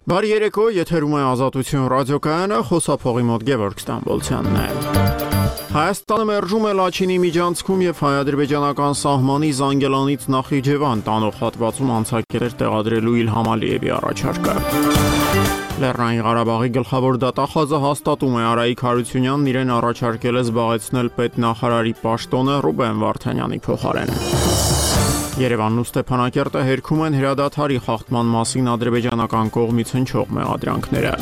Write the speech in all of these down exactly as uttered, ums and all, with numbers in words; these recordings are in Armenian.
Բարի երեկո, եթերում է Ազատություն ռադիոկայանը, խոսափողի մոտ Գևորգ Ստամբոլցյանն է։ Հայաստանը մերժում է Լաչինի միջանցքում եւ հայ-ադրբեջանական սահմանի Զանգելանից Նախիջևան տանող հատվածում անցակետեր տեղադրելու Իլհամ Ալիևի առաջարկը։ Լեռնային Ղարաբաղի գլխավոր դատախազը հաստատում է Արայիկ Հարությունյանն իրեն առաջարկել է զբաղեցնել պետնախարարի պաշտոնը Ռուբեն Վարդանյանի փոխարեն։ Երևանն ու Ստեփանակերտը հերքում են հրադադարի խախտման մասին ադրբեջանական կողմից հնչող մեղադրանքները։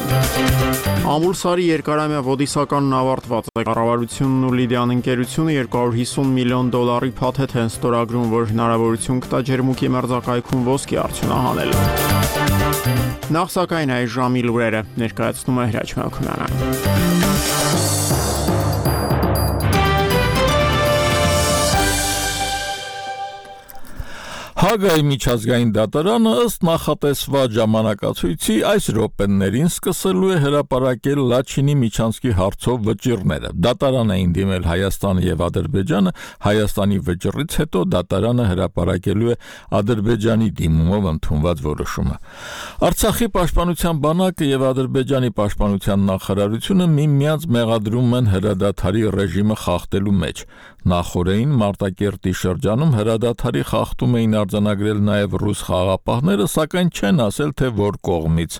Ամուլսարի երկարամյա ոդիսականն ավարտված է։ Կառավարությունն ու Լիդիան ընկերությունը երկու հարյուր հիսուն միլիոն դոլարի փաթեթ են ստորագրում, որ հնարավորություն կտա ջերմուկի մերձակայքում ոսկի արդյունահանել։ Նախ սակայն այս ժամի լուրերը ներկայացնում է Հրաչ Մելքոնյանը։ Հագայի միջազգային դատարանը ըստ նախատեսված ժամանակացույցի այս րոպեներին սկսելու է հրապարակել Լաչինի միջանցքի հարցով վճիռները։ Դատարան էին դիմել Հայաստանը եւ Ադրբեջանը, Հայաստանի վճռից հետո դատարանը հրապարակելու է Ադրբեջանի դիմումով ընդունված որոշումը։ Արցախի պաշտպանության բանակը եւ Ադրբեջանի պաշտպանության նախարարությունը միմյանց մեղադրում են հրադադարի ռեժիմը խախտելու մեջ։ Նախորդին Մարտակերտի շրջանում հրադադարի խախտում էին արձանագրել նաև ռուս խաղաղապահները, սակայն չեն ասել, թե որ կողմից։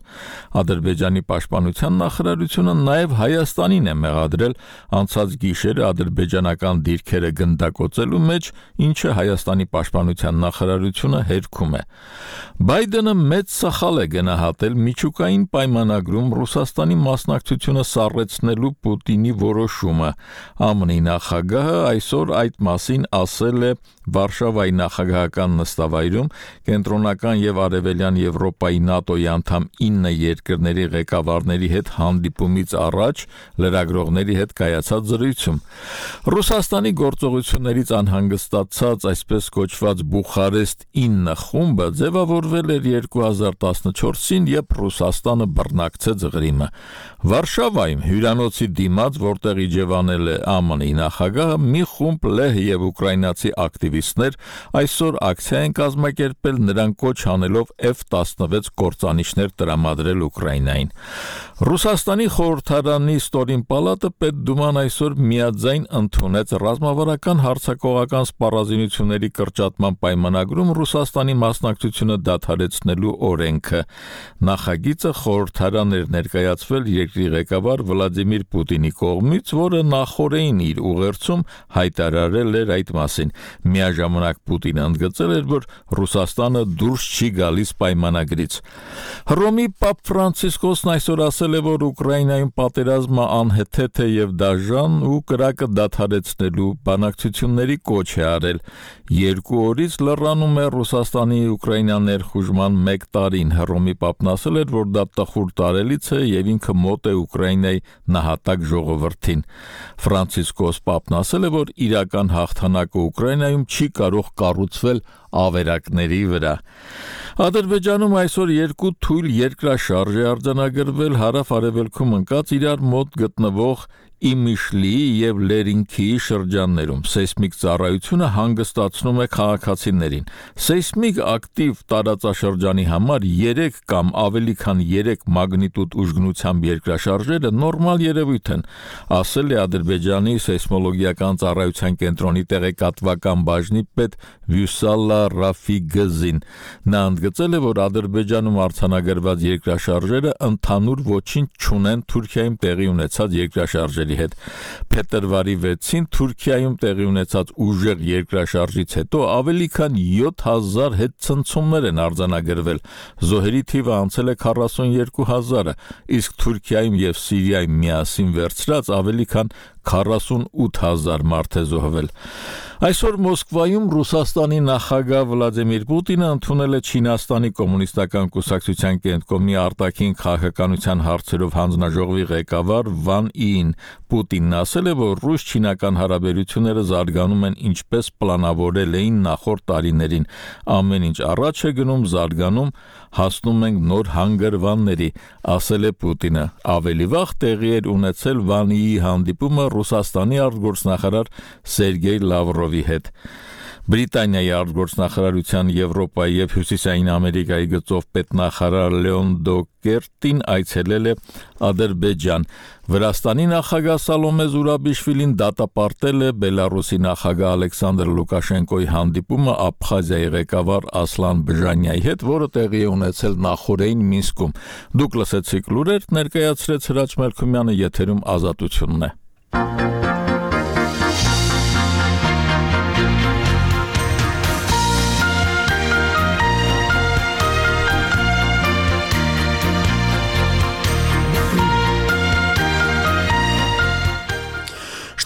Ադրբեջանի պաշտպանության նախարարությունը նաև Հայաստանին է մեղադրել անցած գիշերը ադրբեջանական դիրքերը գնդակոծելու մեջ, ինչը Հայաստանի պաշտպանության նախարարությունը հերքում է։ Բայդենը մեծ սխալ է գնահատել միջուկային պայմանագրում Ռուսաստանի մասնակցությունը սառեցնելու Պուտինի որոշումը։ ԱՄՆ-ի նախագահը այսօր այդ մասին ասել է Վարշավայի նախագահական նստավայրում կենտրոնական եւ արևելյան Եվրոպայի ՆԱՏՕ-ի անդամ ինը երկրների ղեկավարների հետ հանդիպումից առաջ լրագրողների հետ կայացած զրույցում։ Ռուսաստանի գործողություններից անհանգստացած այսպես կոչված Բուխարեստ ինը խումբը ձևավորվել էր երկու հազար տասնչորսին, երբ Ռուսաստանը բռնակցեց Ղրիմը։ Վարշավայում հյուրանոցի դիմաց, որտեղ իջևանել է ԱՄՆ-ի նախագահը, մի խումբ լեհ եւ ուկրաինացի ակտիվիստներ այսօր ակցիա են կազմակերպել, նրան կոչ անելով F տասնվեց կործանիչներ տրամադրել Ուկրաինային։ Ռուսաստանի խորհրդարանի ստորին պալատը Պետդուման այսօր միաձայն ընդունեց ռազմավարական հարձակողական սպառազինությունների կրճատման պայմանագրում Ռուսաստանի մասնակցությունը դադարեցնելու օրենքը։ Նախագիծը խորհրդարան էր ներկայացվել երկրի ղեկավար Վլադիմիր Պուտինի կողմից, որը նախորդին իր ուղերձում հայտարարել էր այդ մասին։ Միաժամանակ Պուտինը ընդգծել էր, որ Ռուսաստանը դուրս չի գալիս պայմանագրից։ Հռոմի Պապ Ֆրանցիսկոսն այսօր ասել է, որ Ուկրաինայում պատերազմը անհեթեթ է եւ դաժան ու կրակը դադարեցնելու բանակցությունների կոչ է արել։ Երկու օրից լռանում է Ռուսաստանի Ուկրաինա ներխուժման մեկ տարին։ Հռոմի Պապն ասել էր, որ դա տխուր տարելից է եւ ինքը մոտ է Ուկրաինայի նահատակ ժողովրդին։ Ֆրանցիսկոս Պապն ասել է, որ իրական հաղթանակը Ուկրաինայում չի կարող կառուցվել ավերակների վրա։ Ադրբեջանում այսօր երկու թույլ երկրաշարժ է արձանագրվել հարավ-արևելքում ընկած իրար մոտ գտնվող Իմիշլիի եւ Լերինքիի շրջաններում։ Սեյսմիկ ծառայությունը հանգստացնում է քաղաքացիներին։ Սեյսմիկ ակտիվ տարածաշրջանի համար երեք կամ ավելի քան երեք մագնիտուդ ուժգնությամբ երկրաշարժերը նորմալ երևույթ են, ասել է Ադրբեջանի սեյսմոլոգիական ծառայության կենտրոնի տեղեկատվական բաժնի պետ Վյուսալլա Ռաֆիգզին։ Նա ընդգծել է, որ Ադրբեջանում արձանագրված երկրաշարժերը ընդհանուր ոչինչ չունեն Թուրքիայում տեղի ունեցած երկրաշարժերի հետ։ Փետրվարի վեցին Թուրքիայում տեղի ունեցած ուժեղ երկրաշարժից հետո ավելի քան յոթ հազար հետցնցումներ են արձանագրվել։ Զոհերի թիվը անցել է քառասունյոթ հազարը, իսկ Թուրքիայում եւ Սիրիայում միասին վերցրած ավելի քան քառասունութ հազար մարդ է զոհվել։ Այսօր Մոսկվայում Ռուսաստանի նախագահ Վլադիմիր Պուտինը ընդունել է Չինաստանի կոմունիստական կուսակցության կենտրոնի արտաքին քաղաքականության հարցերով հանձնաժողովի ղեկավար Վան Ին։ Պուտինն ասել է, որ ռուս-չինական հարաբերությունները զարգանում են ինչպես պլանավորել էին նախորդ տարիներին։ Ամեն ինչ առաջ է գնում, զարգանում, հասնում ենք նոր հանգրվանների, ասել է Պուտինը։ Ավելի վաղ տեղի էր ունեցել Վան Իի հանդիպումը Ռուսաստանի արտգործնախարար Սերգեյ Լավրովի հետ։ Բրիտանիայի արտգործնախարարության Եվրոպայի եւ Հյուսիսային Ամերիկայի գծով պետնախարար Լեոն Դոկերտին այցելել է Ադրբեջան։ Վրաստանի նախագահ Սալոմե Զուրաբիշվիլին դատապարտել է Բելարուսի նախագահ Ալեքսանդր Լուկաշենկոյի հանդիպումը Աբխազիայի ղեկավար Ասլան Բժանյայի հետ, որը տեղի է ունեցել նախորդին Մինսկում։ Դուք լսեցիք լուրեր, ներկայացրեց Հրաչ Մելքումյանը, եթերում Ազատությունն է։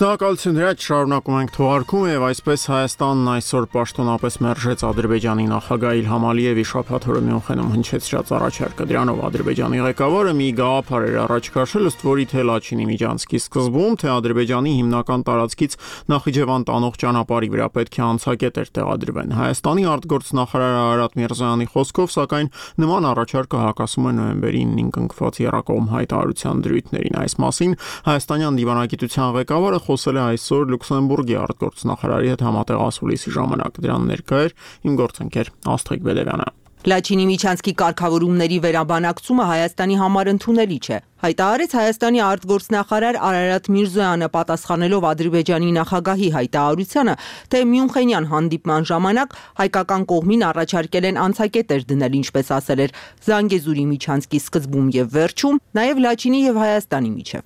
Շնորհակալություն Հրաչ, շարունակում ենք թողարկումը եւ այսպես Հայաստանն այսօր պաշտոնապես մերժեց Ադրբեջանի նախագահ Իլհամ Ալիևի շաբաթ օրը Մյունխենում հնչեցրած առաջարկը։ Դրանով Ադրբեջանի ղեկավարը մի գաղափար էր առաջ քաշել, ըստ որի թե Լաչինի միջանցքի սկզբում, թե Ադրբեջանի հիմնական տարածքից Նախիջևան տանող ճանապարհի վրա պետք է անցակետեր տեղադրվեն։ Հայաստանի արտգործնախարար Արարատ Միրզոյանի խոսքով, սակայն նման առաջարկը հակասում է նոյեմբերի ինին կնքված Եռակողմ հայտարարության դրույթներին։ Այս մասին հայաստանյան դիվանագիտության ղեկավարը խոսել է այսօր Լյուքսեմբուրգի արտգործնախարարի հետ համատեղ ասուլիսի ժամանակ։ Դրան ներկա էր իմ գործընկեր Աստղիկ Բեդևյանը։ Լաչինի միջանցքի կարգավորումների վերաբանակցումը Հայաստանի համար ընդունելի չէ, հայտարարեց Հայաստանի արտգործնախարար Արարատ Միրզոյանը, պատասխանելով Ադրբեջանի նախագահի հայտարարությանը, թե Մյունխենյան հանդիպման ժամանակ հայկական կողմին առաջարկել են անցակետեր դնել, ինչպես ասել էր, Զանգեզուրի միջանցքի սկզբում եւ վերջում, նաեւ Լաչինի եւ Հայաստանի միջև։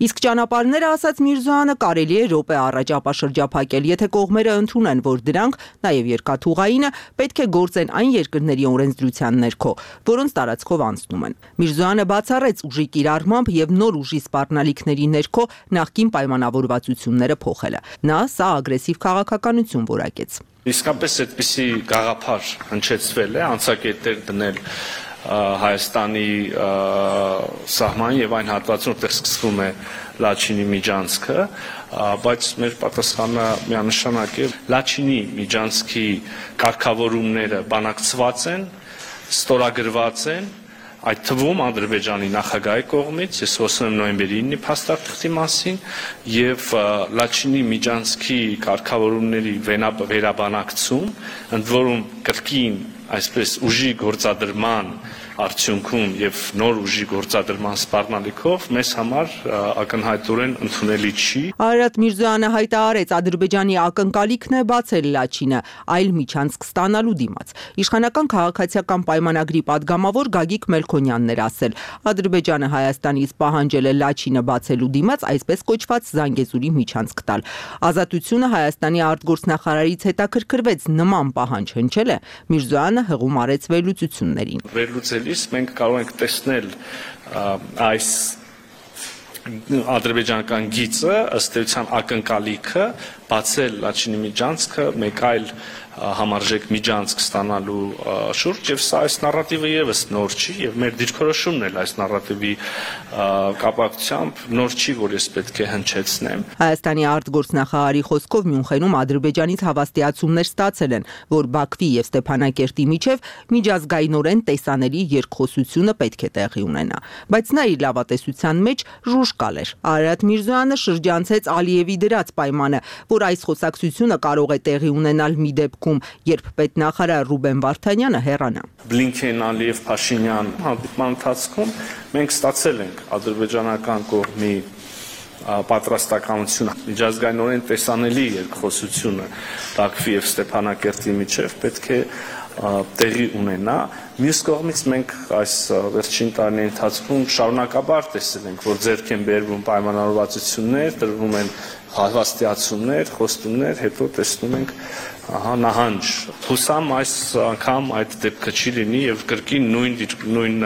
Իսկ ճանապարհները, ասաց Միրզոյանը, կարելի է րոպե առաջ ապաշրջափակել, եթե կողմերը ընդունեն, որ դրանք, նաեւ երկաթուղայինը, պետք է գործեն այն երկրների օրենսդրության ներքո, որոնց տարածքով անցնում են։ Միրզոյանը բացառեց ուժի կիրառմամբ եւ նոր ուժի սպառնալիքների ներքո նախկին պայմանավորվածությունները փոխելը։ Նա սա ագրեսիվ քաղաքականություն որակեց։ Իսկապես այդպիսի գաղափար հնչեցվել է, անցակետեր դնել Հայաստանի սահմանին եւ այն հատվածում, որտեղ սկսվում է Լաչինի միջանցքը, բայց մեր պատասխանը միանշանակ է, Լաչինի միջանցքի կարգավորումները բանակցված են, ստորագրված են, այդ թվում Ադրբեջանի նախագահի կողմից, ես խոսում եմ նոյեմբերի ինի փաստաթղթի մասին, եւ Լաչինի միջանցքի կարգավորումների վերաբանակցում, ընդ որում կրկին այսպես ուժի գործադրման արդյունքում եւ նոր ուժի գործադրման սպառնալիքով մեզ համար ակնհայտորեն ընդունելի չի։ Արարատ Միրզոյանը հայտարարեց, Ադրբեջանի ակնկալիքն է բացել Լաչինը, այլ միջանցք ստանալու դիմաց։ Իշխանական քաղաքացիական պայմանագրի падգամավոր Գագիկ Մելքոնյանն էր ասել, Ադրբեջանը Հայաստանից պահանջել է Լաչինը բացելու դիմաց այսպես կոչված Զանգեզուրի միջանցք տալ։ Ազատությունը Հայաստանի արտգործնախարարից հետաքրքրվեց, նման պահանջ հնչել է, Միրզոյանը հղում արեց վերլուծություններին։ Վերլուծելիս մենք կարող ենք տեսնել այս ադրբեջանական գիծը, ըստ էության ակնկալիքը բացել Լաչինի միջանցքը մեկ այլ համարժեք միջանցք ստանալու շուրջ, եւ սա այս նարատիվը եւս նոր չի, եւ մեր դիրքորոշումն էլ այս նարատիվի կապակցությամբ նոր չի, որ ես պետք է հնչեցնեմ։ Հայաստանի արտգործնախարարի խոսքով Մյունխենում Ադրբեջանից հավաստիացումներ ստացել են, որ Բաքվի եւ Ստեփանակերտի միջև միջազգայինորեն տեսանելի երկխոսությունը պետք է տեղի ունենա, բայց նա իր լավատեսության մեջ ժուժկալ էր։ Արարատ Միրզոյանը շրջանցեց Ալիևի դրած պայմանը, որ այս խոսակցությունը կարող է տեղի ունենալ մի դեպքում, երբ պետնախարար Ռուբեն Վարդանյանը հեռանա։ Բլինքեն, Ալիև, Փաշինյան հանդիպման ընթացքում մենք ստացել ենք ադրբեջանական կողմի պատրաստականությունը, միջազգայինորեն տեսանելի երկխոսությունը Բաքվի եւ Ստեփանակերտի միջև պետք է տեղի ունենա։ Մյուս կողմից մենք այս վերջին տարիների ընթացքում շարունակաբար տեսել ենք, որ ձեռք են բերվում պայմանավորվածություններ, տրվում են հավաստիացումներ, խոստումներ, հետո տեսնում ենք ահա նահանջ։ Հուսամ այս անգամ այդ դեպքը չի լինի եւ կրկին նույն նույն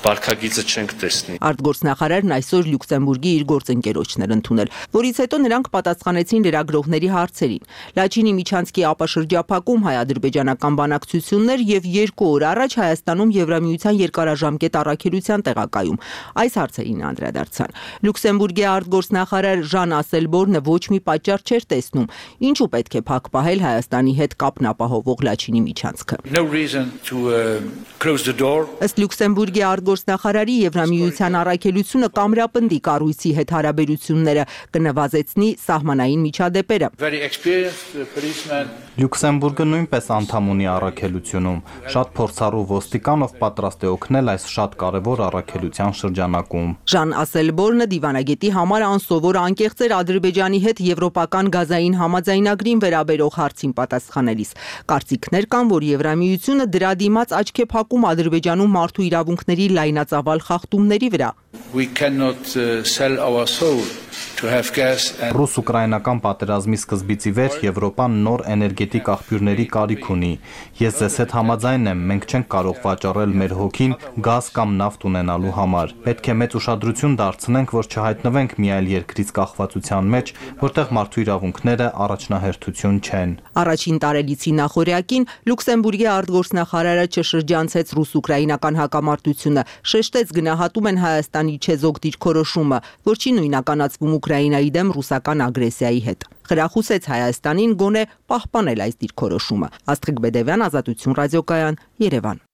վարքագիծը չենք տեսնի։ Արտգործնախարարն այսօր Լյուքսեմբուրգի իր գործընկերոջն էր ընդունել, որից հետո նրանք պատասխանեցին լրագրողների հարցերին։ Լաչինի միջանցքի ապաշրջափակում հայ-ադրբեջանական բանակցություններ եւ երկու օր առաջ Հայաստանում Եվրամիության երկարաժամկետ առաքելության տեղակայում։ Այս հարցերին անդրադարձան։ Լյուքսեմբուրգի արտգործնախարար Ժան Ասելբորնը ոչ մի պատճառ չէր տեսնում, ինչու պետք է փակ պահել Հայաստանի հետ կապն ապահովող Լաչինի միջանցքը։ No reason to uh, close the door. Ըստ Լյուքսեմբուրգի արտգործնախարարի Եվրամիության առաքելությունը կամրապնդի կառույցի հետ հարաբերությունները, կնվազեցնի սահմանային միջադեպերը։ Very experienced uh, policeman. Լյուքսեմբուրգը նույնպես անդամ ունի առաքելությունում, շատ փորձառու ոստիկան, ով պատրաստ է օգնել այս շատ կարևոր առաքելության շրջանակում։ Ժան Ասելբորնը դիվանագետի համար անսովոր անկեղծ էր Ադրբեջանի հետ եվրոպական գազային համաձայնագրին վերաբերող հարցին պատասխանելիս։ Կարծիքներ կան, որ Եվրամիությունը դրա դիմաց աչք է փակում Ադրբեջանում մարդու իրավունքների լայնածավալ խախտումների վրա։ We cannot uh, sell our soul to have gas and Ռուս-ուկրաինական պատերազմի սկզբից ի վեր Եվրոպան նոր էներգետիկ աղբյուրների կարիք ունի։ Ես ձեզ հետ համաձայն եմ, մենք չենք կարող վաճառել մեր հոգին գազ կամ նավթ ունենալու համար։ Պետք է մեծ ուշադրություն դարձնենք, որ չհայտնվենք մի այլ երկրից կախվածության մեջ, որտեղ մարդու իրավունքները առաջնահերթություն չեն։ Առաջին տարելիցի նախօրյակին Լյուքսեմբուրգի արտգործնախարարը չշրջանցեց ռուս-ուկրաինական հակամարտությունը, շեշտեց գնահատում են Հայաստանի չեզոք դիրքորոշումը, որ չի նույնականացվում Ուկրաինայի դեմ ռուսական ագրեսիայի հետ։ Խրախուսեց Հայաստանին գոնե պահպանել այս դիրքորոշումը։ Աստղիկ Բեդևյան, Ազատություն ռադիոկայան, Երևան։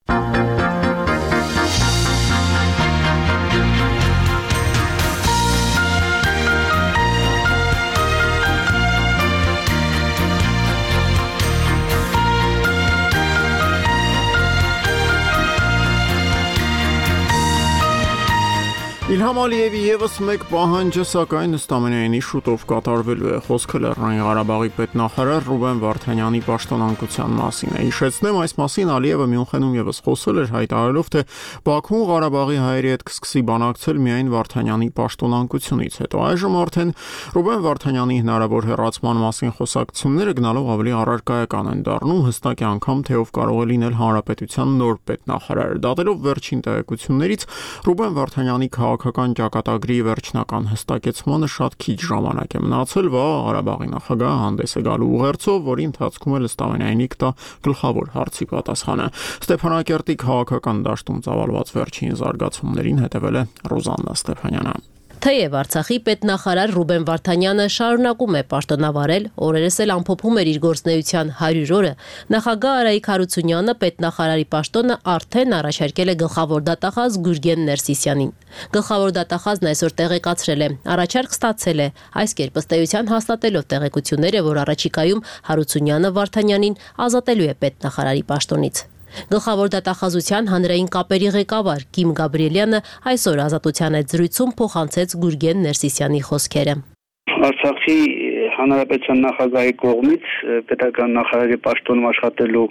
Իլհամ Ալիևի ևս մեկ պահանջը, սակայն ըստ ամենայնի շուտով կատարվելու է։ Խոսքը Լեռնային Ղարաբաղի պետնախարար Ռուբեն Վարդանյանի պաշտոնանկության մասին է։ Հիշեցնեմ, այս մասին Ալիևը Մյունխենում ևս խոսել էր, հայտարարելով, թե Բաքուն Ղարաբաղի հայերի հետ կսկսի բանակցել միայն Վարդանյանի պաշտոնանկությունից հետո։ Այժմ արդեն Ռուբեն Վարդանյանի հնարավոր հեռացման մասին խոսակցությունները գնալով ավելի առարկայական են դառնում, հստակ է անգամ, թե ով կարող է լինել հանրապետության նոր պետնախարարը։ Դատելով վերջին տեղեկություններից, Ռուբեն Վարդանյանի քաղաքական ճակատագրի վերջնական հստակեցմանը շատ քիչ ժամանակ է մնացել, վաղ Ղարաբաղի նախագահը հանդես է գալու ուղերձով, որի ընթացքում էլ ըստ ամենայնի կտա գլխավոր հարցի պատասխանը։ Ստեփանակերտի քաղաքական դաշտում ծավալված վերջին զարգացումներին հետևել է Ռոզաննա Ստեփանյանը։ Թեև Արցախի պետնախարար Ռուբեն Վարդանյանը շարունակում է պաշտոնավարել, օրերս էլ ամփոփում էր իր գործունեության հարյուր օրը, նախագահ Արայիկ Հարությունյանը պետնախարարի պաշտոնը արդեն առաջարկել է գլխավոր դատախազ Գուրգեն Ներսիսյանին։ Գլխավոր դատախազն այսօր տեղեկացրել է, առաջարկ ստացել է, այս կերպ ըստ էության հաստատելով տեղեկությունները, որ առաջիկայում Հարությունյանը Վարդանյանին ազատելու է պետնախարարի պաշտոնից։ Գլխավոր դատախազության հանրային կապերի ղեկավար Կիմ Գաբրիելյանը այսօր Ազատության այդ զրույցում փոխանցեց Գուրգեն Ներսիսյանի խոսքերը։ Արցախի հանրապետության նախագահի կողմից պետական նախարարի պաշտոնում աշխատելու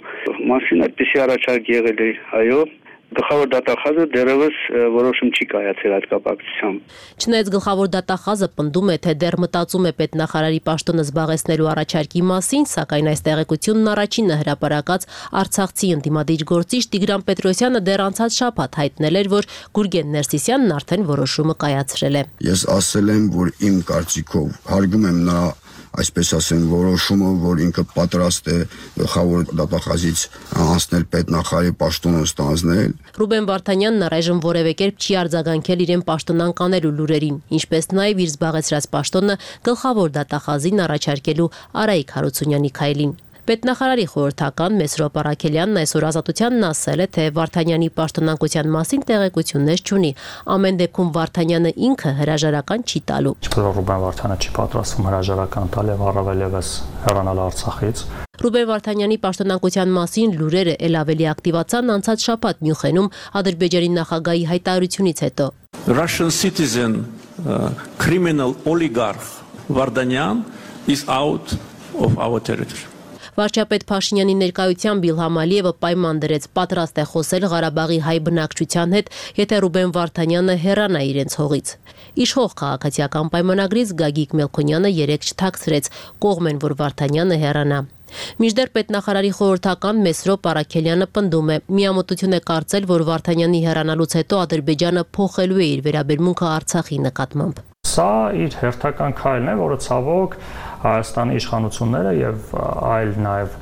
մասին այդպիսի առաջարկ եղել է, այո, գլխավոր դատախազը դեռևս որոշում չի կայացել այդ կապակցությամբ։ Չնայած գլխավոր դատախազը պնդում է, թե դեռ մտածում է պետնախարարի պաշտոնը զբաղեցնելու առաջարկի մասին, սակայն այս տեղեկությունն առաջինը հրապարակած արցախցի ընդդիմադիր գործիչ Տիգրան Պետրոսյանը դեռ անցած շաբաթ հայտնել էր, որ Գուրգեն Ներսիսյանն արդեն որոշումը կայացրել է։ Ես ասել եմ, որ իմ կարծիքով հարգում եմ նրա այսպես ասեմ, որոշումը, որ ինքը պատրաստ է գլխավոր դատախազից անցնել պետնախարարի պաշտոնը ստանձնել։ Ռուբեն Վարդանյանն առայժմ որևէ կերպ չի արձագանքել իրեն պաշտոնանկանելու լուրերին, ինչպես նաև իր զբաղեցրած պաշտոնը գլխավոր դատախազին առաջարկելու Արայիկ Հարությունյանի քայլին։ Պետնախարարի խորհրդական Մեսրոպ Արաքելյանն այսօր Ազատությանն ասել է, թե Վարդանյանի պաշտոնանկության մասին տեղեկություններ չունի։ Ամեն դեպքում Վարդանյանը ինքը հրաժարական չի տալու։ Ինչպես Ռուբեն Վարդյանը չի պատրաստվում հրաժարական տալ եւ առավել եւս հեռանալ Արցախից։ Ռուբեն Վարդանյանի պաշտոնանկության մասին լուրերը ել ավելի ակտիվացան անցած շաբաթ Մյունխենում Ադրբեջանի նախագահի հայտարարությունից հետո։ Russian citizen uh, criminal oligarch Vardanyan is out of our territory. Վարչապետ Փաշինյանի ներկայությամբ Իլհամ Ալիևը պայման դրեց պատրաստ է խոսել Ղարաբաղի հայ բնակչության հետ, եթե Ռուբեն Վարդանյանը հեռանա իրենց հողից։ Իշխող քաղաքացիական պայմանագրից Գագիկ Մելքոնյանը երեկ չթաքցրեց, կողմ են, որ Վարդանյանը հեռանա։ Մինչդեռ պետնախարարի խորհրդական Մեսրոպ Արաքելյանը պնդում է, միամտություն է կարծել, որ Վարդանյանի հեռանալուց հետո Ադրբեջանը փոխելու է իր վերաբերմունքը Արցախի նկատմամբ։ Սա իր հերթական քայլն է, որը ցավոք Հայաստանի իշխանությունները եւ այլ նաեւ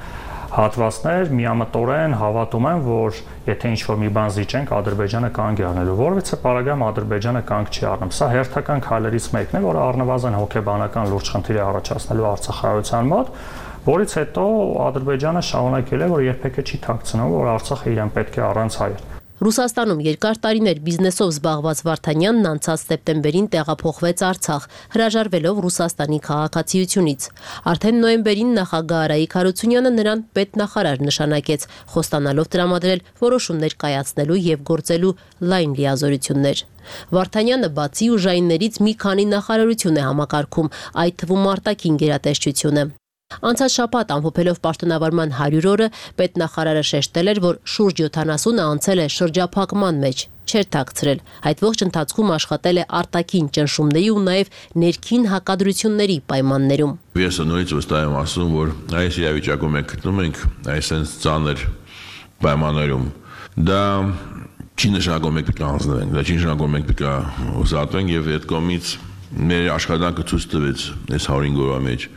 հատվածներ միամտորեն հավատում են, որ եթե ինչ-որ մի բան զիջենք, Ադրբեջանը կանգ է առնելու, որովհետեւ պարագայում Ադրբեջանը կանգ չի առնում։ Սա հերթական քայլերից մեկն է, որը առնվազն հոգեբանական լուրջ խնդիր է առաջացնելու Արցախայության մոտ, որից հետո Ադրբեջանը շարունակել է, որ երբեք չի թաքցնում, որ Արցախը իրեն պետք է առանց հայեր։ Ռուսաստանում երկար տարիներ բիզնեսով զբաղված Վարդանյանն անցած սեպտեմբերին տեղափոխվեց Արցախ, հրաժարվելով Ռուսաստանի քաղաքացիությունից։ Արդեն նոյեմբերին նախագահ Արայիկ Հարությունյանը նրան պետնախարար նշանակեց, խոստանալով տրամադրել որոշումներ կայացնելու եւ գործելու լայն լիազորություններ։ Վարդանյանը բացի ուժայիններից մի քանի նախարարություն է համակարգում, այդ թվում արտաքին գերատեսչությունը։ Անցած շաբաթ ամփոփելով պաշտոնավարման հարյուր օրը պետնախարարը շեշտել էր, որ շուրջ յոթանասունը անցել է շրջափակման մեջ, չէր թաքցրել, այդ ողջ ընթացքում աշխատել է արտաքին ճնշումների ու նաև ներքին հակադրությունների պայմաններում։ Ես նորից վստահ եմ ասում, որ այս իրավիճակում մենք գտնվում ենք այսպես ծանր պայմաններում։ Դա չի նշանակում մենք պետք է հանձնվենք, դա չի նշանակում մենք պետք է ուզատվենք եւ այդ կողմից մեր աշխատանքը ցույց տվեց այս հարյուր օրվա մեջ,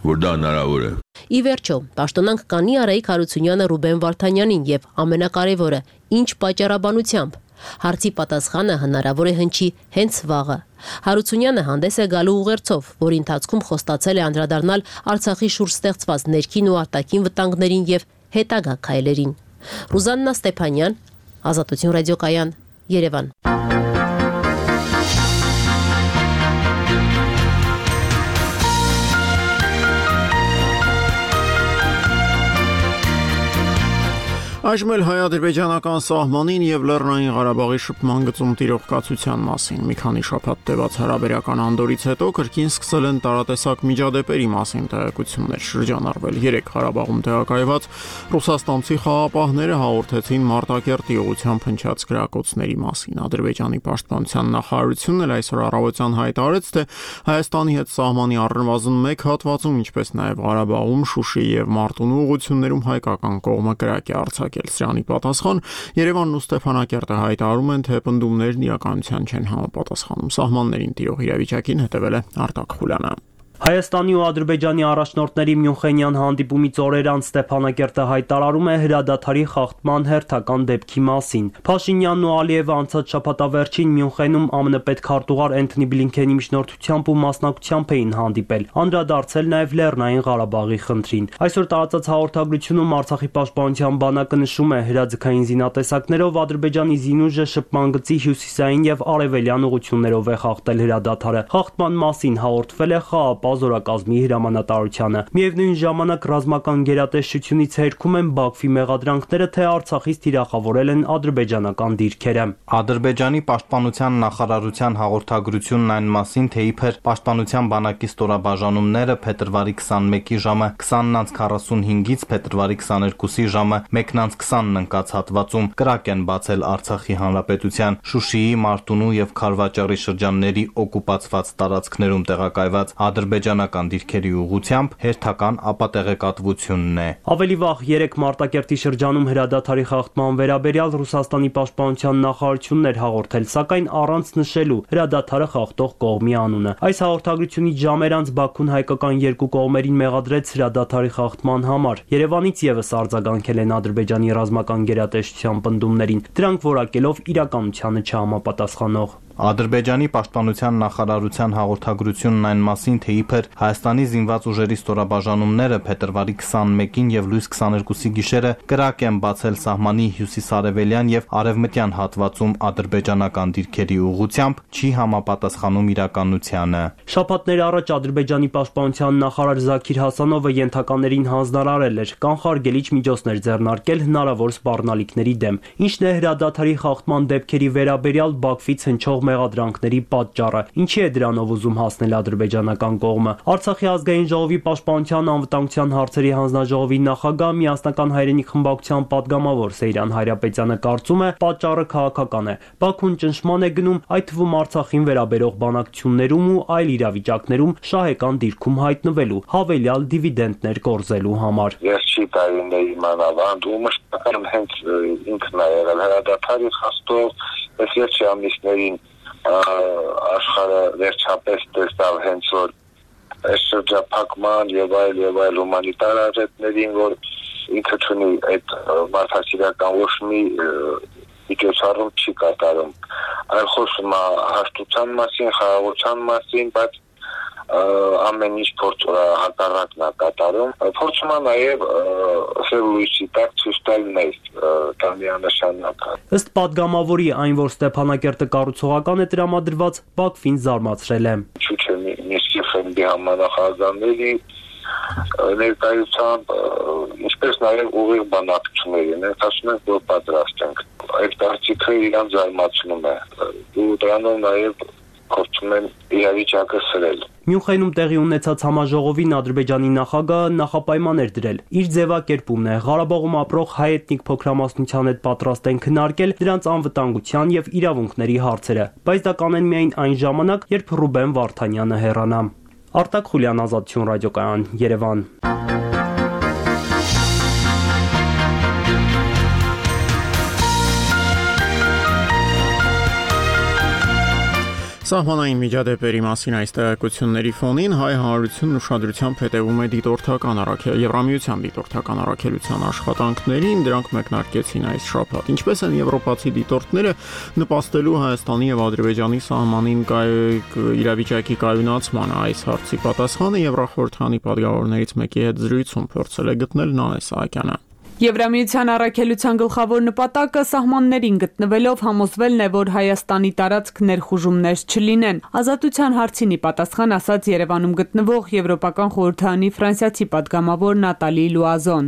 որ դա հնարավոր է։ Ի վերջո, պաշտոնանք կանի Արայիկ Հարությունյանը Ռուբեն Վարդանյանին եւ ամենակարևորը, ինչ պատճառաբանությամբ։ Հարցի պատասխանը հնարավոր է հնչի հենց վաղը։ Հարությունյանը հանդես է գալու ուղերձով, որի ընթացքում խոստացել է անդրադառնալ Արցախի շուրջ ստեղծված ներքին ու արտաքին վտանգներին եւ հետագա քայլերին։ Ռուզաննա Ստեփանյան, Ազատություն ռադիոկայան, Երևան։ Այժմ էլ հայ-ադրբեջանական սահմանին եւ Լեռնային Ղարաբաղի շփման գծում տիրող կացության մասին։ Մի քանի շաբաթ տևած հարաբերական անդորից հետո կրկին սկսել են տարատեսակ միջադեպերի մասին տեղեկություններ շրջանառվել։ Երեք Ղարաբաղում տեղակայված ռուսաստանցի խաղապահները հաղորդեցին Մարտակերտի ուղղությամբ հնչած գրակոծների մասին։ Ադրբեջանի պաշտպանության նախարարությունն էլ այսօր առավոտյան հայտարարեց, թե Հայաստանի հետ սահմանի առնվազն մեկ հատվածում, ինչպես նաեւ Ղարաբաղում, Շուշի եւ Մարտունու ուղղություններում հայկական կողմը կրակ է արձակել։ Սրանի պատասխան Երևանն ու Ստեփանակերտը հայտարարում են, թե պնդումներն իրականության չեն համապատասխանում։ Սահմաններին տիրող իրավիճակին հետևել է Արտակ Խուլյանը։ Հայաստանի ու Ադրբեջանի առաջնորդների Մյունխենյան հանդիպումից օրեր անց Ստեփանակերտը հայտարարում է հրադադարի խախտման հերթական դեպքի մասին։ Փաշինյանն ու Ալիևը անցած շաբաթավերջին Մյունխենում ԱՄՆ պետքարտուղար Էնթոնի Բլինքենի միջնորդությամբ ու մասնակցությամբ էին հանդիպել, անդրադարձել նաև Լեռնային Ղարաբաղի խնդրին։ Այսօր տարածած հաղորդագրությունում Արցախի պաշտպանության բանակը նշում է, հրաձգային զինատեսակներով Ադրբեջանի զինուժը շփման գծի հյուսիսային եւ արևելյան ուղություններով է խախտել հրադադարը։ Խախտման մասին հաղորդվել է ԽԱՊ զորակազմի հրամանատարությանը։ Միևնույն ժամանակ ռազմական գերատեսչությունից հերքում են Բաքվի մեղադրանքները, թե Արցախից թիրախավորել են ադրբեջանական դիրքերը։ Ադրբեջանի պաշտպանության նախարարության հաղորդագրությունն այն մասին, թե իբր պաշտպանության բանակի ստորաբաժանումները փետրվարի քսանմեկի ժամը քսանն քառասունհինգից փետրվարի քսաներկուսի ժամը մեկն քսանն ընկած հատվածում կրակ են բացել Արցախի հանրապետության Շուշիի, Մարտունու եւ Խարվաճարի շրջանների օկուպացված տարածքներում տեղակայված ադրբեջանական դիրքերի ուղղությամբ հերթական ապատեղեկատվությունն է։ Ավելի վաղ երեք Մարտակերտի շրջանում հրադադարի խախտման վերաբերյալ Ռուսաստանի պաշտպանության նախարարությունն էր հաղորդել, սակայն առանց նշելու հրադադարը խախտող կողմի անունը։ Այս հաղորդագրությունից ժամեր անց Բաքուն հայկական երկու կողմերին մեղադրեց հրադադարի խախտման համար։ Երևանից եւս արձագանքել են Ադրբեջանի ռազմական գերատեսչության պնդումներին, դրանք որակելով իրականությանը չհամապատասխանող։ Ադրբեջանի պաշտպանության նախարարության հաղորդագրությունն այն մասին, թե իբր Հայաստանի զինված ուժերի ստորաբաժանումները փետրվարի քսանմեկին եւ լույս քսաներկուսի գիշերը կրակ են բացել սահմանի հյուսիսարևելյան եւ արևմտյան հատվածում ադրբեջանական դիրքերի ուղղությամբ, չի համապատասխանում իրականությանը։ Շաբաթներ առաջ Ադրբեջանի պաշտպանության նախարար Զաքիր Հասանովը ենթականերին հանձնարարել էր կանխարգելիչ միջոցներ ձեռնարկել հնարավոր սպառնալիքների դեմ, ինչն է հրադադարի խախտման դեպքերի վերաբերյալ Բաքվից հնչող մեղադրանքների պատճառը։ Ինչի է դրանով ուզում հասնել ադրբեջանական կողմը։ Արցախի ազգային ժողովի պաշտպանության անվտանգության հարցերի հանձնաժողովի նախագահ միասնական հայրենիք խմբակցության падգամավոր Սեյրան Հայրապետյանը կարծում է, պատճառը քաղաքական է։ Բաքուն ճնշման է գնում, այդ թվում Արցախին վերաբերող բանակցություններում ու այլ իրավիճակներում շահեկան դիրքում հայտնվելու, հավելյալ դիվիդենդներ կորզելու համար։ Վերջի տարիների մանավանդումը շփական հենց ինքն է եղել հրադադարի խախտող, այս վերջի ամիսներին աշխարհը վերջապես տեսավ հենց որ այս շրջափակման եւ այլ եւ այլ հումանիտար արժեքներին, որ ինքը ունի այդ մարդասիրական ոչ մի միջոցառում չի կատարում, այլ խոսում է հաշտության մասին, խաղաղության մասին, բայց ամեն ինչ փորձում է հակառակն է կատարում, փորձում է նաև սև լույսի տակ ցույց տալ մեզ դա միանշանակ։ Ըստ падգամավորի, այն, որ Ստեփանակերտը կառուցողական է տրամադրված, Բաքվին զարմացրել է։ Ինչու՞ չէ Մինսկի ֆոնդի համանախագահների ներկայությամբ, ինչպես նաև ուղիղ բանակցությունների, մենք ասում ենք, որ պատրաստ ենք։ Այդ կարծիքը իրան զարմացնում է։ Ու դրանով նաև փորձում են իրավիճակը սրել։ Մյունխենում տեղի ունեցած համաժողովին Ադրբեջանի նախագահը նախապայման էր դրել։ Իր ձևակերպումն է Ղարաբաղում ապրող հայ էթնիկ փոքրամասնության հետ պատրաստ են քննարկել դրանց անվտանգության եւ իրավունքների հարցերը, բայց դա կանեն միայն այն ժամանակ, երբ Ռուբեն Վարդանյանը հեռանա։ Արտակ Խուլյան, Ազատություն ռադիոկայան, Երևան։ Սահմանային միջադեպերի մասին այս տեղեկությունների ֆոնին հայ հանրությունն ուշադրությամբ հետևում է դիտորդական առաքել Եվրամիության դիտորդական առաքելության աշխատանքներին, դրանք մեկնարկեցին այս շաբաթ։ Ինչպես են եվրոպացի դիտորդները նպաստելու Հայաստանի եւ Ադրբեջանի սահմանին իրավիճակի կայունացմանը, այս հարցի պատասխանը Եվրախորհրդանի պատգամավորներից մեկի հետ զրույցում փորձել է գտնել Նանե Սահակյանը։ Եվրամիության առաքելության գլխավոր նպատակը սահմաններին գտնվելով համոզվելն է, որ Հայաստանի տարածք ներխուժումներ չլինեն։ Ազատության հարցին ի պատասխան ասաց Երևանում գտնվող Եվրոպական խորհրդարանի ֆրանսիացի падգամավոր Նատալի Լուազոն։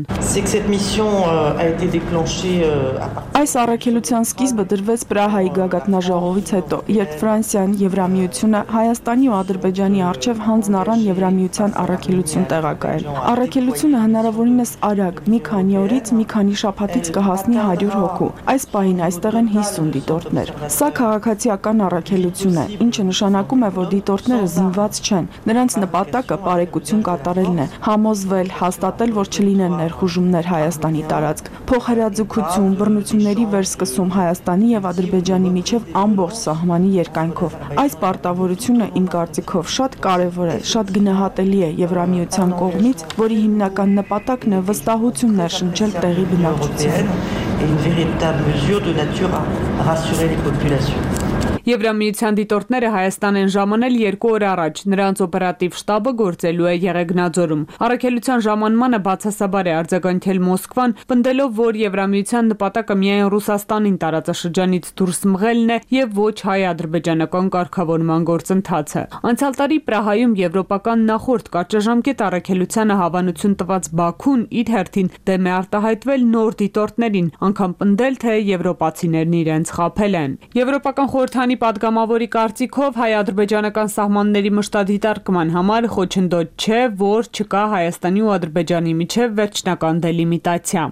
Այս առաքելության սկիզբը դրվեց Պրահայի գագաթնաժողովից հետո, երբ Ֆրանսիան, Եվրամիությունը Հայաստանի ու Ադրբեջանի առջև հանձն առան Եվրամիության առաքելություն տեղակայել։ Առաքելությունը հնարավորինս արագ մի քանի օր մի քանի շաբաթից կհասնի հարյուր հոգու։ Այս պահին այստեղ են հիսուն դիտորդներ։ Սա քաղաքացիական առաքելություն է, ինչը նշանակում է, որ դիտորդները զինված չեն։ Նրանց նպատակը բարեկություն կատարելն է, համոզվել, հաստատել, որ չլինեն ներխուժումներ Հայաստանի տարածք, փոխհրաձգություն, բռնությունների վերսկսում Հայաստանի եւ Ադրբեջանի միջև ամբողջ սահմանի երկայնքով։ Այս պարտավորությունը իմ կարծիքով շատ կարեւոր է, շատ գնահատելի է Եվրամիության կողմից, որի հիմնական նպատակն է վստահություն ներշնչել տեղի բնակչության։ Եվրամիության դիտորդները Հայաստան են ժամանել երկու օր առաջ, նրանց օպերատիվ շտաբը գործելու է Եղեգնաձորում։ Առաքելության ժամանմանը բացասաբար է արձագանքել Մոսկվան, պնդելով, որ Եվրամիության նպատակը միայն Ռուսաստանին տարածաշրջանից դուրս մղելն է եւ ոչ հայ-ադրբեջանական կարգավորման գործընթացը։ Անցյալ տարի Պրահայում եվրոպական նախորդ կարճաժամկետ առաքելությանը հավանություն տված Բաքուն իր հերթին դեմ է արտահայտվել նոր դիտորդներին, անգամ պնդել, թե եվրոպացիներն իրենց խաբել են։ Եվրոպական խորհրդանի падգամավորի կարծիքով հայ-ադրբեջանական սահմանների մշտադիտարկման համար խոչընդոտ չէ, որ չկա Հայաստանի ու Ադրբեջանի միջև վերջնական դելիմիտացիա։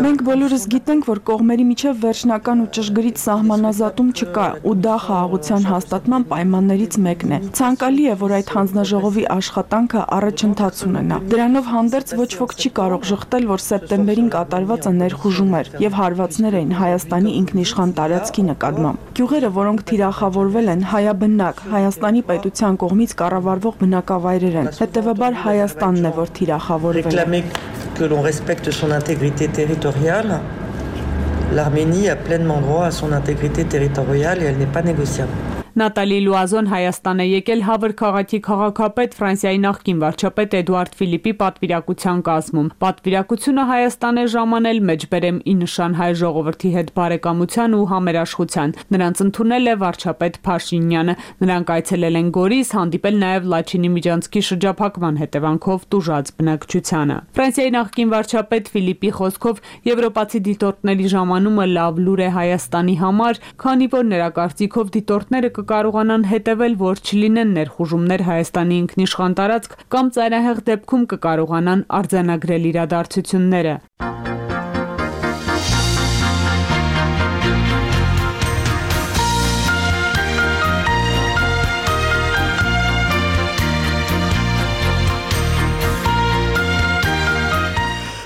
Մենք բոլորս գիտենք, որ կողմերի միջև վերջնական ու ճշգրիտ սահմանազատում չկա, ու դա խաղաղության հաստատման պայմաններից մեկն է։ Ցանկալի է, որ այդ հանձնաժողովի աշխատանքը առաջընթաց ունենա։ Դրանով հանդերձ ոչ ոք չի կարող ժխտել, որ սեպտեմբերին կատարվածը ներխուժում եւ հարվածներ էին Հայաստանի ինքնիշխան տարածքի նկատմամբ։ Գյուղերը, որոնք թիրախավորվել են, հայաբնակ, Հայաստանի պետության կողմից կառավարվող բնակավայրեր են։ Հետևաբար Հայաստանն է, որ թիրախավորվել է։ L'Arménie a pleinement droit à son intégrité territoriale et elle n'est pas négociable. Նատալի Լուազոն Հայաստան է եկել Հավր քաղաքի քաղաքապետ Ֆրանսիայի նախկին վարչապետ Էդուարդ Ֆիլիպի պատվիրակության կազմում։ Պատվիրակությունը Հայաստան է ժամանել մեջբերեմ ի նշան հայ ժողովրդի հետ բարեկամության ու համերաշխության։ Նրանց ընդունել է վարչապետ Փաշինյանը։ Նրանք այցելել են Գորիս, հանդիպել նաև Լաչինի Միջանցքի շրջափակման հետևանքով տուժած բնակչությանը։ Ֆրանսիայի նախկին վարչապետ Ֆիլիպի խոսքով եվրոպացի դիտորդների ժամանումը լավ լուր է Հայաստանի համար, քանի որ նրա կարծիքով դիտորդները կկարողանան հետևել, որ չլինեն ներխուժումներ Հայաստանի ինքնիշխան տարածք կամ ծայրահեղ դեպքում կկարողանան արձանագրել իրադարձությունները։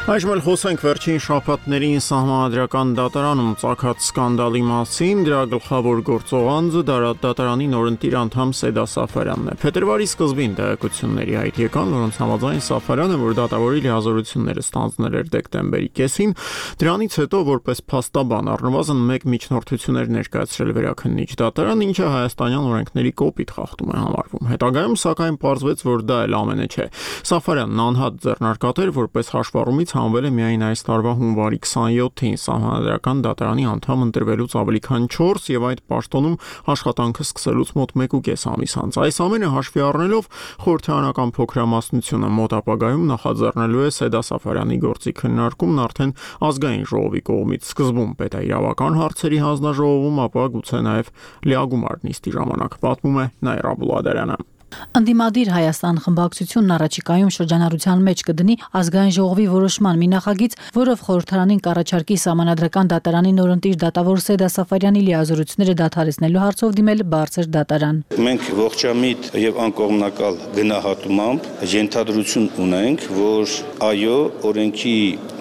Այժմ էլ խոսենք վերջին շաբաթներին Սահմանադրական դատարանում ծագած սկանդալի մասին։ Դրա գլխավոր գործող անձը դատարանի նորընտիր անդամ Սեդա Սաֆարյանն է։ Փետրվարի սկզբին տեղեկությունների հայտ եկան, որոնց համաձայն Սաֆարյանը, որ դատավորի լիազորությունները ստանձնել էր դեկտեմբերի կեսին, դրանից հետո որպես փաստաբան առնվազն մեկ միջնորդություն էր ներկայացրել վերաքննիչ դատարան, ինչը հայաստանյան օրենքների կոպիտ խախտում է համարվում։ Հետագայում սակայն պարզվեց, որ դա էլ ամենը չէ։ Սաֆարյանն անհատ ձեռնարկատ էր, որպես հաշվառումից հանվել է միայն այս տարվա հունվարի քսաներկուին Սահմանադրական դատարանի անդամ ընտրվելուց ավելի քան չորս եւ այդ պաշտոնում աշխատանքը սկսելուց մոտ մեկ ու կես ամիս անց։ Այս ամենը հաշվի առնելով խորհրդարանական փոքրամասնությունը մոտ ապագայում նախաձեռնելու է Սեդա Սաֆարյանի գործի քննարկումն արդեն ազգային ժողովի կողմից սկզբում պետաիրավական հարցերի հանձնաժողովում, ապա գուցե նաեւ լիագումար նիստի ժամանակ, պատմում է Նաիրա Բուլադարյանը։ Ընդդիմադիր Հայաստան խմբակցությունն առաջիկայում շրջանառության մեջ կդնի ազգային ժողովի որոշման մի նախագիծ, որով խորհրդարանին կառաջարկի Սահմանադրական դատարանի նորընտիր դատավոր Սեդա Սաֆարյանի լիազորությունները դադարեցնելու հարցով դիմել բարձր դատարան։ Մենք ողջամիտ եւ անկողմնակալ գնահատումամբ ենթադրություն ունենք, որ այո, օրենքի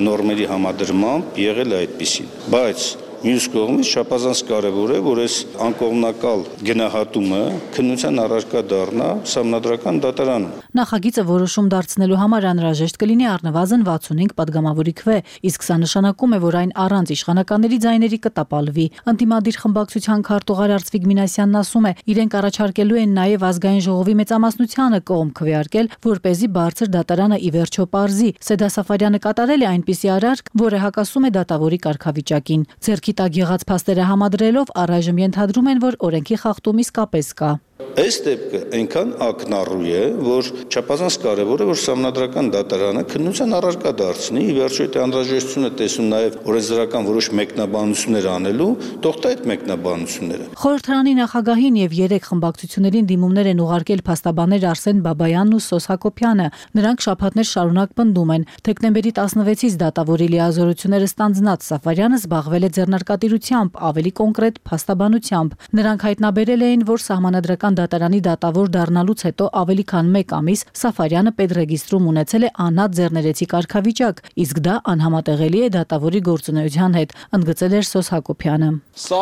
նորմերի համադրմամբ եղել է այդպիսին, բայց մյուս կողմից չափազանց կարևոր է, որ այս անկողմնակալ գնահատումը քննության առարկա դառնա Սահմանադրական դատարանում։ Նախագիծը որոշում դարձնելու համար անհրաժեշտ կլինի առնվազն վաթսունհինգ падգամավորի քվե, իսկ սա նշանակում է, որ այն առանց իշխանականների ձայների կտապալվի։ Ընդդիմադիր խմբակցության քարտուղար Արծվիկ Մինասյանն ասում է, իրենք առաջարկելու են նաև ազգային ժողովի մեծամասնությանը կողմ քվեարկել, որպեսզի բարձր դատարանը ի վերջո պարզի։ Սեդա Սաֆարյանը կատարել է այնպիսի արարք, որը հակասում է դատավորի կարգավիճակին։ Ձեռքի տակ եղած փաստերը համադրելով առայժմ ենթադրում են, որ օրենքի խախտում իսկապես կա։ Այս դեպքը այնքան ակնառու է, որ չափազանց կարևոր է, որ Սահմանադրական դատարանը քննության առարկա դարձնի, ի վերջո այդ անհրաժեշտությունը տեսնում նաև օրենսդրական որոշ մեկնաբանություններ անելու, թողտա այդ մեկնաբանությունները։ Խորհրդարանի նախագահին եւ երեք խմբակցություններին դիմումներ են ուղարկել փաստաբաններ Արսեն Բաբայանն ու Սոս Հակոբյանը։ Նրանք շաբաթներ շարունակ պնդում են, դեկտեմբերի տասնվեցից դատավորի լիազորությունները ստանձնած Սաֆարյանը զբաղվել է ձեռնարկատիրությամբ, ավելի կոնկրետ փաստաբանությամբ։ Նրանք հայտնաբերել էին, որ Սահմանադրական դատարանի դատավոր դառնալուց հետո ավելի քան մեկ ամիս Սաֆարյանը պետրեգիստրում ունեցել է անհատ ձեռներեցի կարգավիճակ, իսկ դա անհամատեղելի է դատավորի գործունեության հետ, ընդգծել էր Սոս Հակոբյանը։ Սա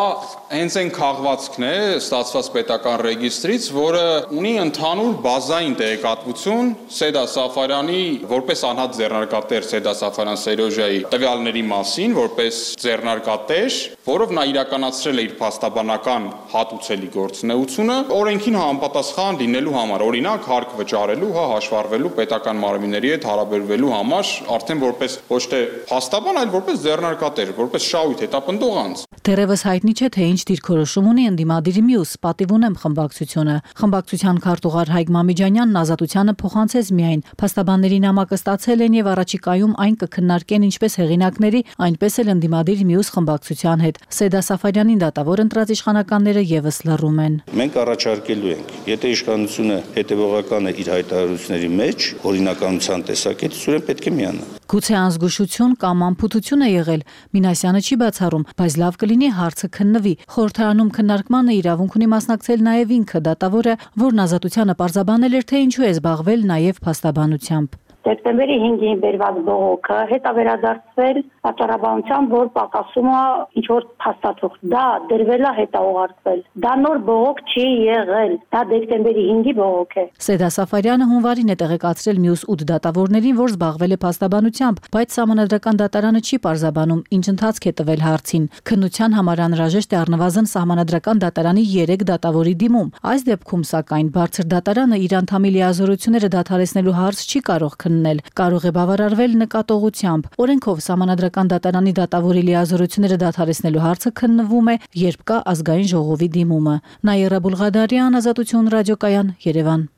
հենց այն քաղվածքն է ստացված պետական ռեգիստրից, որը ունի ընդհանուր բազային տեղեկատվություն Սեդա Սաֆարյանի որպես անհատ ձեռնարկատեր Սեդա Սաֆարյան Սերոժայի տվյալների մասին, որպես ձեռնարկատեր, որով նա իրականացրել է իր փաստաբանական հատուցելի գործունեությունը, օրենքին համապատասխան լինելու համար, օրինակ հարկ վճարելու, հա հաշվառվելու պետական մարմինների հետ հարաբերվելու համար, արդեն որպես ոչ թե փաստաբան, այլ որպես ձեռնարկատեր, որպես շահույթ հետապնդող անձ։ Դեռևս հայտնի չէ, թե ինչ դիրքորոշում ունի ընդդիմադիրի մյուս պատիվ ունեմ խմբակցությունը։ Խմբակցության քարտուղար Հայկ Մամիջանյանն ազատությանը փոխանցեց միայն փաստաբանների նամակը ստացել են եւ առաջիկայում այն կքննարկեն ինչպես հեղինակների, այնպես էլ ընդդիմադիր մյուս խմբակցության հետ։ Սեդա Սաֆարյանին դատավոր ընտրած իշխանականները եւս լռում են։ Մենք առաջարկելու ենք, եթե իշխանությունը հետևողական է իր հայտարարությունների մեջ, օրինականության տեսակետից, ուրեմն պետք է միանա։ Գուցե անզգուշություն կամ անփութություն է եղել, Մինասյանը չի բացառում, բայց լավ կլինի հարցը քննվի։ Խորհրդարանում քննարկմանը իրավունք ունի մասնակցել նաև ինքը դատավորը, որն ազատությանը պարզաբանել էր, թե ինչու է զբաղվել նաև փաստաբանությամբ։ Դեկտեմբերի հինգին բերված բողոքը հետավերադարձվել պատճառաբանությամբ, որ պակասում է ինչ որ փաստաթուղթ։ Դա դրվել է հետաուղարկվել։ Դա նոր բողոք չի եղել։ Դա դեկտեմբերի հինգի բողոք է։ Սեդա Սաֆարյանը հունվարին է տեղեկացրել մյուս ութ դատավորներին, որ զբաղվել է փաստաբանությամբ, բայց Սահմանադրական դատարանը չի պարզաբանում, ինչ ընթացք է տվել հարցին։ Քննության համար անհրաժեշտ է առնվազն Սահմանադրական դատարանի երեք դատավորի դիմում։ Այս դեպքում, սակայն, բարձր դատարանը իր անդամի լիազորությունները դադարեցնելու հարց չի կարող քննել, կարող է բավարարվել նկատողությամբ։ Օրենքով Սահմանադրական դատարանի դատավորի լիազորությունները դադարեցնելու հարցը քննվում է, երբ կա ազգային ժողովի դիմումը։ Նաիրա Բուլղադարյան, Ազատություն ռադիոկայան, Երևան։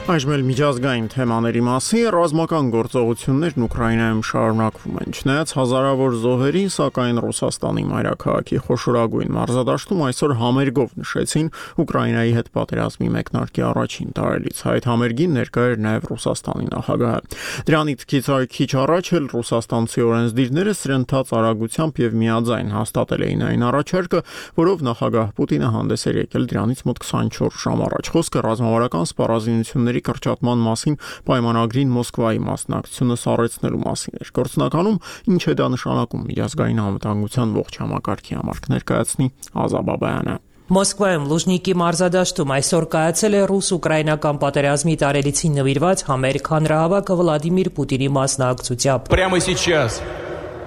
Այժմ էլ միջազգային թեմաների մասին ռազմական գործողություններն Ուկրաինայում շարունակվում են։ Չնայած հազարավոր զոհերի, սակայն Ռուսաստանի մայրաքաղաքի խոշորագույն մարզադաշտում այսօր համերգով նշեցին Ուկրաինայի հետ պատերազմի մեկնարկի առաջին տարելիցը։ Այդ համերգին ներկա էր նաև Ռուսաստանի նախագահը։ Դրանից քիչ առաջ էլ ռուսաստանցի օրենսդիրները սրընթաց արագությամբ եւ միաձայն հաստատել էին այն առաջարկը, որով նախագահ Պուտինը հանդես էր եկել դրանից մոտ քսանչորս ժամ առաջ։ Խոսքը ռազմավարական սպառազինությունների կրճատման մասին պայմանագրին Մոսկվայի մասնակցությունը սառեցնելու մասին էր։ Գործնականում ինչ է դա նշանակում միջազգային անվտանգության ողջ համակարգի համար կներկայացնի Ազա Բաբայանը։ Մոսկվայում Լուժնիկի մարզադաշտում այսօր կայացել է ռուս-ուկրաինական պատերազմի տարելիցին նվիրված համերգ հանրահավաքը Վլադիմիր Պուտինի մասնակցությամբ։ Прямо сейчас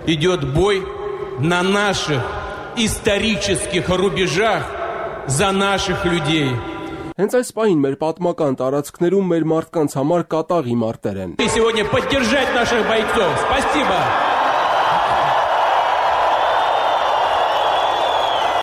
идет бой на наших исторических рубежах за наших людей. Հենց այս պահին մեր պատմական տարածքներում մեր մարդկանց համար կատաղի մարտեր են։ И сегодня поддержать наших бойцов. Спасибо.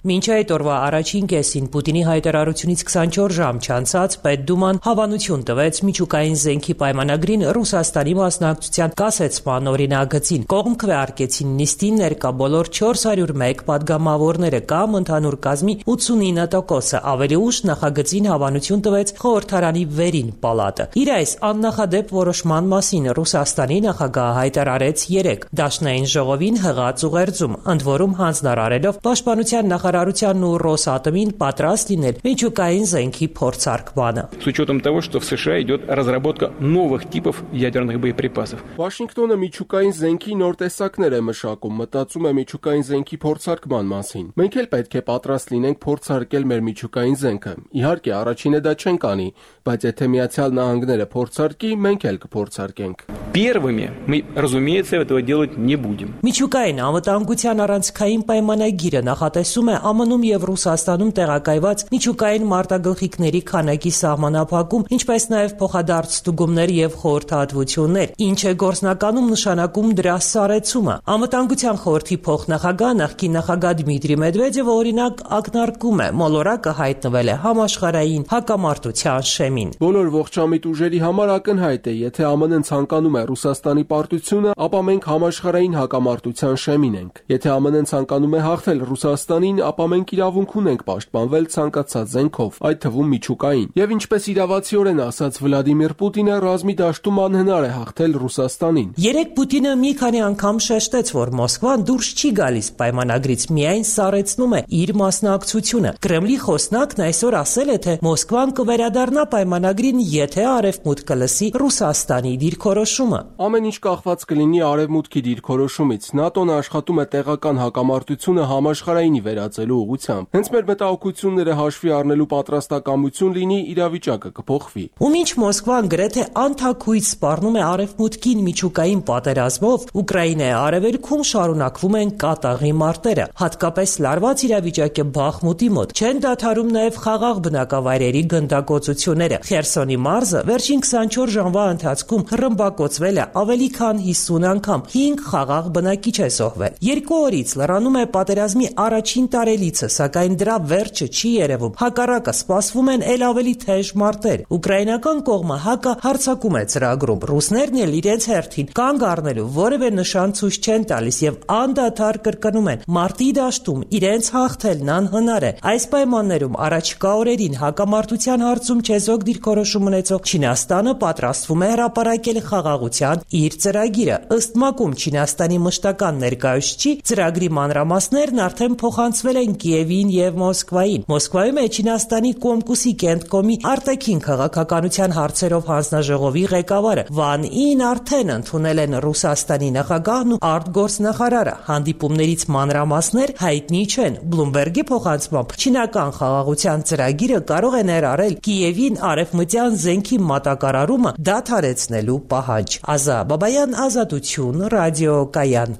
Մինչ այդ օրվա առաջին կեսին Պուտինի հայտարարությունից քսանչորս ժամ չանցած Պետդուման հավանություն տվեց միջուկային զենքի պայմանագրին Ռուսաստանի մասնակցության կասեցման օրինագծին։ Կողմ քվեարկեցին նիստին ներկա բոլոր չորս հարյուր մեկ պատգամավորները կամ ընդհանուր կազմի ութսունինը տոկոսը։ Ավելի ուշ նախագծին հավանություն տվեց խորհրդարանի վերին պալատը։ Իր այս աննախադեպ որոշման մասին Ռուսաստանի նախագահը հայտարարեց երեկ Դաշնային ժողովին հղած ուղերձում, ընդ որում հանձնարարելով պաշտպանության նախարարության ու Ռոսատոմին պատրաստ լինել միջուկային զենքի փորձարկմանը։ С учетом того, что в США идет разработка новых типов ядерных боеприпасов. Վաշինգտոնը միջուկային զենքի նոր տեսակներ է մշակում, մտածում է միջուկային զենքի փորձարկման մասին։ Մենք էլ պետք է պատրաստ լինենք փորձարկել մեր միջուկային զենքը։ Իհարկե, առաջինը դա չենք անի, բայց եթե Միացյալ Նահանգները փորձարկի, մենք էլ կփորձարկենք։ Первыми мы, разумеется, этого делать не будем. Միջուկային անվտանգության առանցքային պայմանագիրը նախատեսում է Ամն-ում եւ Ռուսաստանում տեղակայված միջուկային մարտագլխիկների քանակի սահմանափակում, ինչպես նաեւ փոխադարձ ստուգումներ եւ խորհրդատվություններ, ինչը գործնականում նշանակում դրա սառեցումը։ Անվտանգության խորհրդի փոխնախագահ նախկին նախագահ Դմիտրի Մեդվեդևը օրինակ ակնարկում է, մոլորակը հայտնվել է համաշխարհային հակամարտության շեմին։ Բոլոր ողջամիտ ուժերի համար ակնհայտ է, եթե ԱՄՆ-ն ցանկանում է Ռուսաստանի պարտությունը, ապա մենք համաշխարհային հակամարտության շեմին ենք։ Եթե ԱՄՆ-ն ցանկանում է հաղթել Ռուսաստանին, ապա մենք իրավունք ունենք պաշտպանվել ցանկացած զենքով, այդ թվում միջուկային։ Եվ ինչպես իրավացիորեն ասաց Վլադիմիր Պուտինը, ռազմի դաշտում անհնար է հաղթել Ռուսաստանին։ Երեք Պուտինը մի քանի անգամ շեշտեց, որ Մոսկվան դուրս չի գալիս պայմանագրից, միայն սառեցնում է իր մասնակցությունը։ Կրեմլի խոսնակն այսօր ասել է, թե Մոսկվան կվերադառնա պայմանագրին, եթե Արևմուտքը լսի Ռուսաստանի դիրքորոշումը։ Ամեն ինչ կախված կլինի Արևմուտքի դիրքորոշումից։ ՆԱՏՕ-ն աշխատում է տեղական հակամարտությունը համաշխարհայինի վերածելու ուղղությամբ։ Հենց մեր մտահոգությունները հաշվի առնելու պատրաստակամություն լինի, իրավիճակը կփոխվի։ Ու մինչ Մոսկվան գրեթե անթաքույց սպառնում է Արևմուտքին միջուկային պատերազմով, Ուկրաինայի արևելքում շարունակվում են կատաղի մարտերը, հատկապես լարված իրավիճակ է Բախմուտի մոտ։ Չեն դադարում նաև խաղաղ բնակավայրերի գնդակոծությունները։ Խերսոնի մարզը վերջին քսանչորս ժամվա ընթացքում ռմբակոծվել է ավելի քան հիսուն անգամ, հինգ խաղաղ բնակիչ է զոհվել։ Երկու օրից լրանում է պատերազմի առաջին տարելիցը, սակայն դրա վերջը չի երևում։ Հակառակը սպասվում են ել ավելի թեժ մարտեր։ Ուկրաինական կողմը հակը հարձակում է ծրագրում։ Ռուսներն էլ իրենց հերթին կանգ առնելու որևէ նշան ցույց չեն տալիս եւ անդադար կրկնում են. մարտի դաշտում իրենց հաղթելն անհնար է։ Այս պայմաններում առաջիկա օրերին հակամարտության հարցում չեզոք դիրքորոշում ունեցող Չինաստանը պատրաստվում է հրապարակել խաղաղության իր ծրագիրը։ Ըստ ՄԱԿ-ում Չինաստանի մշտական ներկայացուցիչի ծրագրի մանրամասներն արդեն փոխանցվել են Կիևին եւ Մոսկվային։ Մոսկվայում է Չինաստանի Կոմկուսի կենտկոմի արտաքին քաղաքականության հարցերով հանձնաժողովի ղեկավարը Վան Ին արդեն ընդունել են Ռուսաստանի նախագահն ու արտգործնախարարը։ Հանդիպումներից մանրամասներ հայտնի չեն։ Բլումբերգի փոխանցմամբ չինական խաղաղության ծրագիրը կարող է ներառել Կիևին արևմտյան զենքի մատակարարումը դադարեցնելու պահանջ։ Ազա Բաբայան, Ազատություն, ռադիոկայան։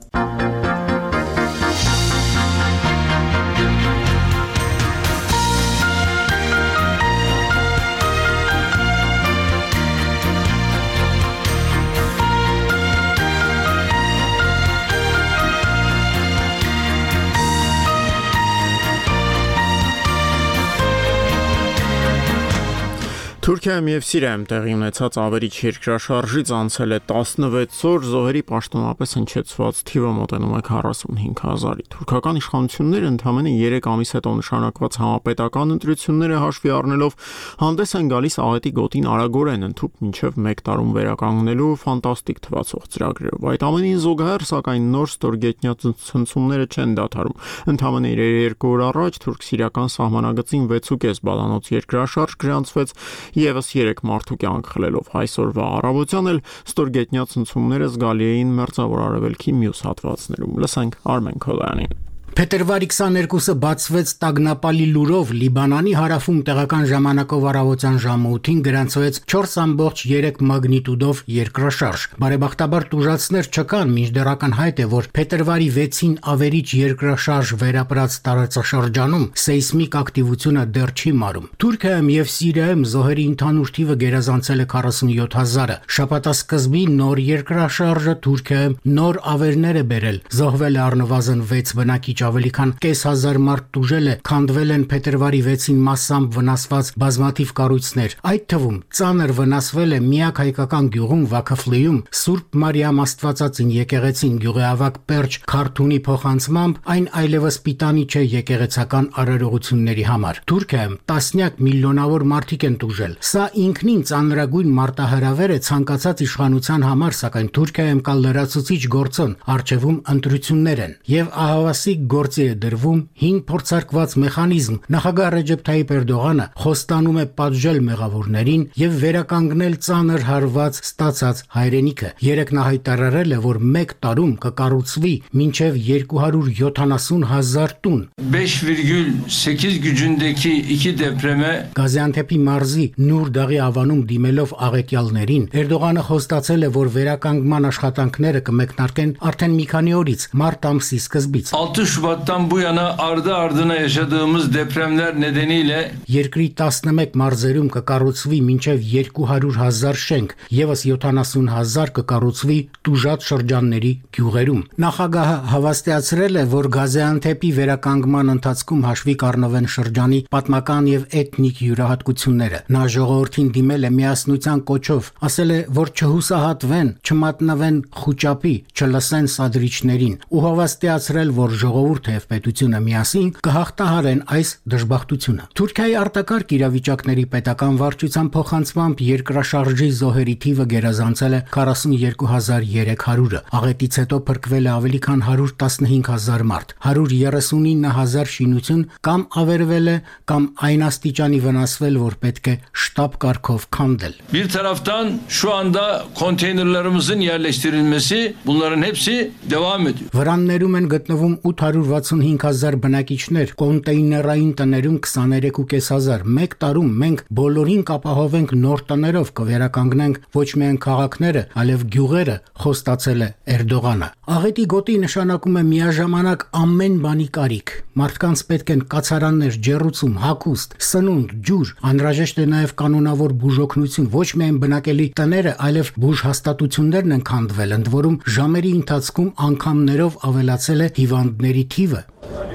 Թուրքիայում եւ Սիրիայում տեղի ունեցած ավերիչ երկրաշարժից անցել է տասնվեց օր, զոհերի պաշտոնապես հնչեցված թիվը մոտենում է քառասունհինգ հազարի։ Թուրքական իշխանությունները ընդամենը երեք ամիս հետո նշանակված համապետական ընտրությունները հաշվի առնելով հանդես են գալիս աղետի գոտին արագորեն ընդհուպ մինչև մեկ տարում վերականգնելու ֆանտաստիկ թվացող ծրագրերով։ Այդ ամենին զուգահեռ, սակայն նոր ստորգետնյա ցնցումները չեն դադարում։ Ընդամենը երկու օր առաջ թուրք-սիրիական սահմանագծին վեց ու կես բալանոց երկրաշարժ գրանցվեց Եվս երեք մարդու կյանք խլելով այսօրվա առավոտյան էլ ստորգետնյա ցնցումները զգալի էին մերձավոր արևելքի մյուս հատվածներում։ Լսենք Արմեն Քոլյանին։ Փետրվարի քսաներկուսը բացվեց տագնապալի լուրով Լիբանանի հարավում տեղական ժամանակով առավոտյան ժամը ութին գրանցվեց չորս ամբողջ երեք մագնիտուդով երկրաշարժ։ Բարեբախտաբար տուժածներ չկան, մինչդեռ ակնհայտ է, որ փետրվարի վեցին ավերիչ երկրաշարժ վերապրած տարածաշրջանում սեյսմիկ ակտիվությունը դեռ չի մարում։ Թուրքիայում եւ Սիրիայում զոհերի ընդհանուր թիվը գերազանցել է քառասունյոթ հազարը։ Շաբաթասկզբի նոր երկրաշարժը Թուրքիայում նոր ավերներ է բերել։ Զոհվել է առնվազն վեց բնակիչ, ավելի քան կես հազար մարդ տուժել է, քանդվել են փետրվարի վեցին massամբ վնասված բազմաթիվ կառույցներ։ Այդ թվում ծանր վնասվել է միակ հայկական գյուղում Վաքաֆլիում Սուրբ Մարիամ Աստվածածին եկեղեցին գյուղեավակ Պերճ քարթունի փոխանցմամբ այն այլևս պիտանի չէ եկեղեցական արարողությունների համար։ Թուրքիայում տասնյակ միլիոնավոր մարդիկ են տուժել։ Սա ինքնին ծանրագույն մարտահրավեր է ցանկացած իշխանության համար, սակայն Թուրքիայում կա լրացուցիչ գործոն, առջևում ընտրություններ են եւ ահավասիկ գործի է դրվում հին փորձարկված մեխանիզմ։ Նախագահ Ռեջեփ Թայիպ Էրդողանը խոստանում է պատժել մեղավորներին եւ վերականգնել ծանր հարված ստացած հայրենիքը։ Երեկ նա հայտարարել է, որ մեկ տարում կկառուցվի մինչեւ երկու հարյուր յոթանասուն հազար տուն։ beş virgül sekiz gücündeki iki depreme Գազիանթեփի մարզի Նուր Դաղի ավանում դիմելով աղետյալներին Էրդողանը խոստացել է, որ վերականգնման աշխատանքները կմեկնարկեն արդեն մի քանի օրից, մարտ ամսի սկզբից։ altı Şubat'tan bu yana ardı ardına yaşadığımız depremler nedeniyle Երկրի տասնմեկ մարզերում կկառուցվի մինչև երկու հարյուր հազար շենք, եւս յոթանասուն հազար կկառուցվի տուժած շրջանների գյուղերում։ Նախագահը հավաստիացրել է, որ Գազիանթեփի վերականգնման ընթացքում հաշվի կառնվեն շրջանի պատմական եւ էթնիկ յուրահատկությունները։ Նա ժողովրդին դիմել է միասնության կոչով, ասել է, որ չհուսահատվեն, չմատնվեն խուճապի, չլսեն սադրիչներին ու հավաստիացրել, որ ժողովուրդը եւ պետությունը միասին կհաղթահարեն այս դժբախտությունը։ Թուրքիայի արտակարգ իրավիճակների պետական վարչության փոխանցմամբ երկրաշարժի զոհերի թիվը գերազանցել է քառասունյոթ հազար երեք հարյուրը։ Աղետից հետո փրկվել է ավելի քան հարյուր տասնհինգ հազար մարդ, հարյուր երեսունինը հազար շինություն կամ ավերվել է կամ այն աստիճանի վնասվել, որ պետք է շտապ կարգով քանդել։ Bir taraftan şu anda konteynerlarımızın yerleştirilmesi bunların hepsi devam ediyor. Վրաններում են գտնվում ութ հարյուր վաթսունհինգ հազար բնակիչներ, կոնտեյներային տներում քսաներեք հազար պինսետ։ Մեկ տարում մենք բոլորին կապահովենք նոր տներով, կվերականգնենք ոչ միայն քաղաքները, այլև գյուղերը, խոստացել է Էրդողանը։ Աղետի գոտի նշանակում է միաժամանակ ամեն բանի կարիք։ Մարդկանց պետք են կացարաններ, ջեռուցում, հագուստ, սնունդ, ջուր, անհրաժեշտ է նաև կանոնավոր բուժօգնություն, ոչ միայն բնակելի տները, այլև բուժհաստատություններն են քանդվել, ընդ որում ժամերի ընթացքում անգամներով ավելացել է hivandների թիվը։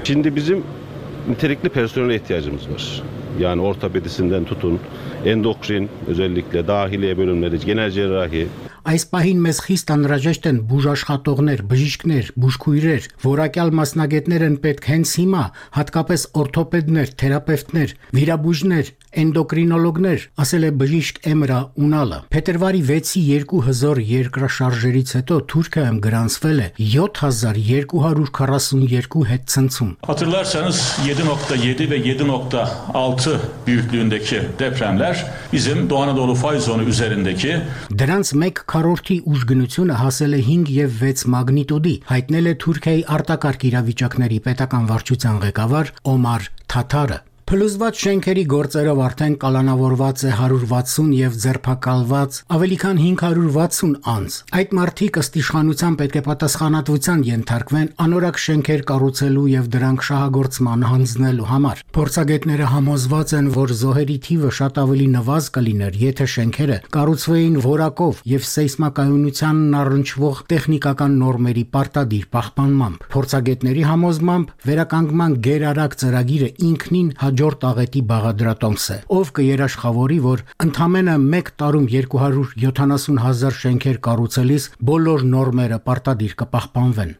Şimdi bizim nitelikli personele ihtiyacımız var. Yani ortopedisinden tutun, endokrin, özellikle dahiliye bölümleri, genel cerrahi. Այս պահին մեզ խիստ անհրաժեշտ են բուժաշխատողներ, բժիշկներ, բուժքույրեր, որակյալ մասնագետներ են պետք հենց հիմա, հատկապես օրթոպեդներ, թերապևտներ, վիրաբույժներ, էնդոկրինոլոգներ, ասել է բժիշկ Էմրա Ունալը։ Փետրվարի վեցի երկու հզոր երկրաշարժերից հետո Թուրքիայում գրանցվել է յոթ հազար երկու հարյուր քառասունյոթ հետցնցում։ Hatırlarsanız yedi nokta yedi ve yedi nokta altı büyüklüğündeki depremler bizim Doğu Anadolu fay zonu üzerindeki Դրանց մեկ քառորդի ուժգնությունը հասել է հինգ եւ վեց մագնիտուդի, հայտնել է Թուրքիայի արտակարգ իրավիճակների պետական վարչության ղեկավար Օմար Թաթարը։ Փլուզված շենքերի գործերով արդեն կալանավորված է հարյուր վաթսուն եւ ձերբակալված ավելի քան հինգ հարյուր վաթսուն անձ։ Այդ մարդիկ ըստ իշխանության պետք է պատասխանատվության ենթարկվեն անորակ շենքեր կառուցելու եւ դրանք շահագործման հանձնելու համար։ Փորձագետները համոզված են, որ զոհերի թիվը շատ ավելի նվազ կլիներ, եթե շենքերը կառուցվեին որակով եւ սեյսմակայունությանն առնչվող տեխնիկական նորմերի պարտադիր պահպանմամբ։ Փորձագետների համոզմամբ վերականգնման գերարագ ծրագիրը ինքնին հաջող հաջորդ աղետի բաղադրատոմս է, ով կերաշխավորի, որ ընդամենը մեկ տարում երկու հարյուր յոթանասուն հազար շենքեր կառուցելիս բոլոր նորմերը պարտադիր կպահպանվեն։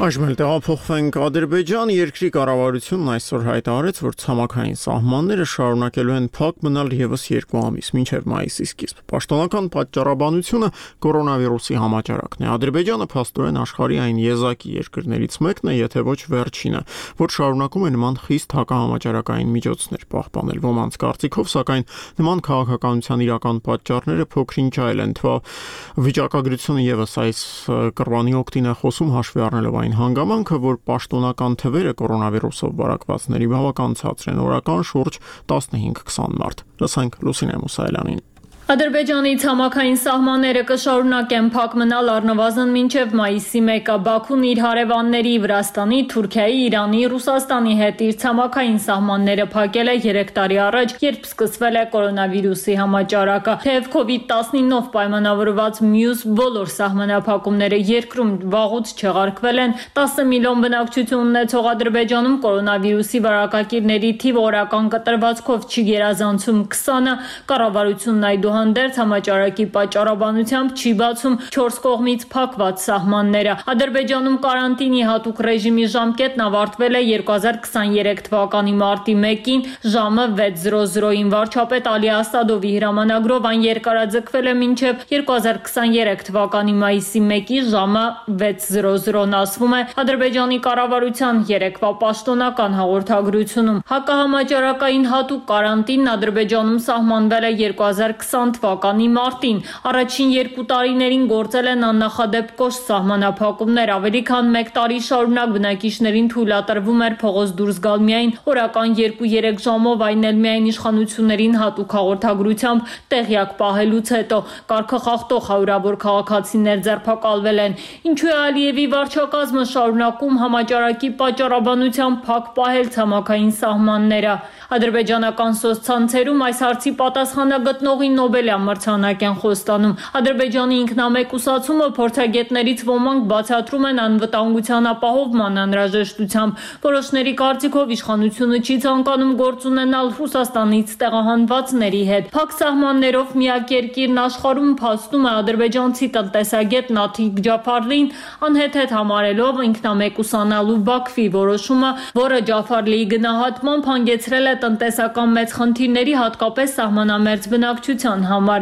Այժմ էլ տեղափոխվենք Ադրբեջան, երկրի կառավարությունն այսօր հայտարարեց, որ ցամաքային սահմանները շարունակելու են փակ մնալ ևս երկու ամիս, մինչև մայիսի սկիզբ։ Պաշտոնական պատճառաբանությունը կորոնավիրուսի համաճարակն է։ Ադրբեջանը փաստորեն աշխարհի այն եզակի երկրներից մեկն է, եթե ոչ վերջինը, որ շարունակում է նման խիստ հակահամաճարակային միջոցներ պահպանել։ Ոմանց կարծիքով, սակայն նման քաղաքականության իրական պատճառները փոքրինչ այլ են, թվա վիճակագրությունը ևս այս կռվանի օգտին է խոսում, հաշվի առնելով այն հանգամանքը, որ պաշտոնական թվերը կորոնավիրուսով վարակվածների բավական ցածր են, օրական շուրջ տասնհինգ քսան մարդ։ Լսենք Լուսինե Մուսայելյանին։ Ադրբեջանի ցամաքային սահմանները կշարունակեն փակ մնալ առնվազն մինչև մայիսի մեկը։ Բաքուն իր հարևանների Վրաստանի, Թուրքիայի, Իրանի, Ռուսաստանի հետ իր ցամաքային սահմանները փակել է երեք տարի առաջ, երբ սկսվել է կորոնավիրուսի համաճարակը։ Թեև կովիդ տասնինով պայմանավորված մյուս բոլոր սահմանափակումները երկրում վաղուց չեղարկվել են, տասը միլիոն բնակչություն ունեցող Ադրբեջանում կորոնավիրուսի վարակակիրների թիվը օրական կտրվածքով չի գերազանցում քսանը, կառավարությունն այդուհանդերձ համաճարակի պատճառաբանությամբ չի բացում չորս կողմից փակված սահմանները։ Ադրբեջանում կարանտինի հատուկ ռեժիմի ժամկետն ավարտվել է երկու հազար քսաներեք թվականի մարտի մեկին ժամը վեց զրո զրոյին։ Վարչապետ Ալի Ասադովի հրամանագրով այն երկարաձգվել է մինչև երկու հազար քսաներեք թվականի մայիսի մեկի ժամը վեց զրո զրոն, ասվում է Ադրբեջանի կառավարության երեկվա պաշտոնական հաղորդագրությունում։ Հակահամաճարակային հատուկ կարանտինն Ադրբեջանում սահմանվել է երկու հազար քսան թվականի մարտին։ Առաջին երկու տարիներին գործել են աննախադեպ կոշտ սահմանափակումներ, ավելի քան մեկ տարի շարունակ բնակիչներին թույլատրվում էր փողոց դուրս գալ միայն օրական երկու-երեք ժամով, այն էլ միայն իշխանություններին հատուկ հաղորդագրությամբ տեղյակ պահելուց հետո։ Կարգախախտող հարյուրավոր քաղաքացիներ ձերբակալվել են։ Ինչու է Ալիևի վարչակազմը շարունակում համաճարակի պատճառաբանությամբ փակ պահել ցամաքային սահմանները։ Ադրբեջանական սոցցանցերում այս հարցի պատասխանը գտնողի Նոբելյան մրցանակ են խոստանում։ Ադրբեջանի ինքնամեկուսացումը փորձագետներից ոմանք բացատրում են անվտանգության ապահովման անհրաժեշտությամբ։ Որոշների կարծիքով իշխանությունը չի ցանկանում գործ ունենալ Ռուսաստանից տեղահանվածների հետ։ Փակ սահմաններով միակ երկիրն աշխարհում, փաստում է ադրբեջանցի տնտեսագետ Նաթիկ Ջաֆարլին, անհեթեթ համարելով ինքնամեկուսանալու Բաքվի որոշումը, որը Ջաֆարլիի գնահատմամբ հանգեցրել է տնտեսական մեծ խնդիրների, հատկապես սահմանամերձ բնակչության համար։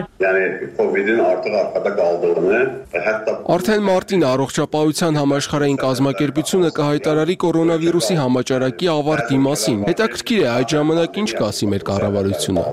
Արդեն մարտին առողջապահության համաշխարհային կազմակերպությունը կհայտարարի կորոնավիրուսի համաճարակի ավարտի մասին։ Հետաքրքիր է այդ ժամանակ ինչ կասի մեր կառավարությունը։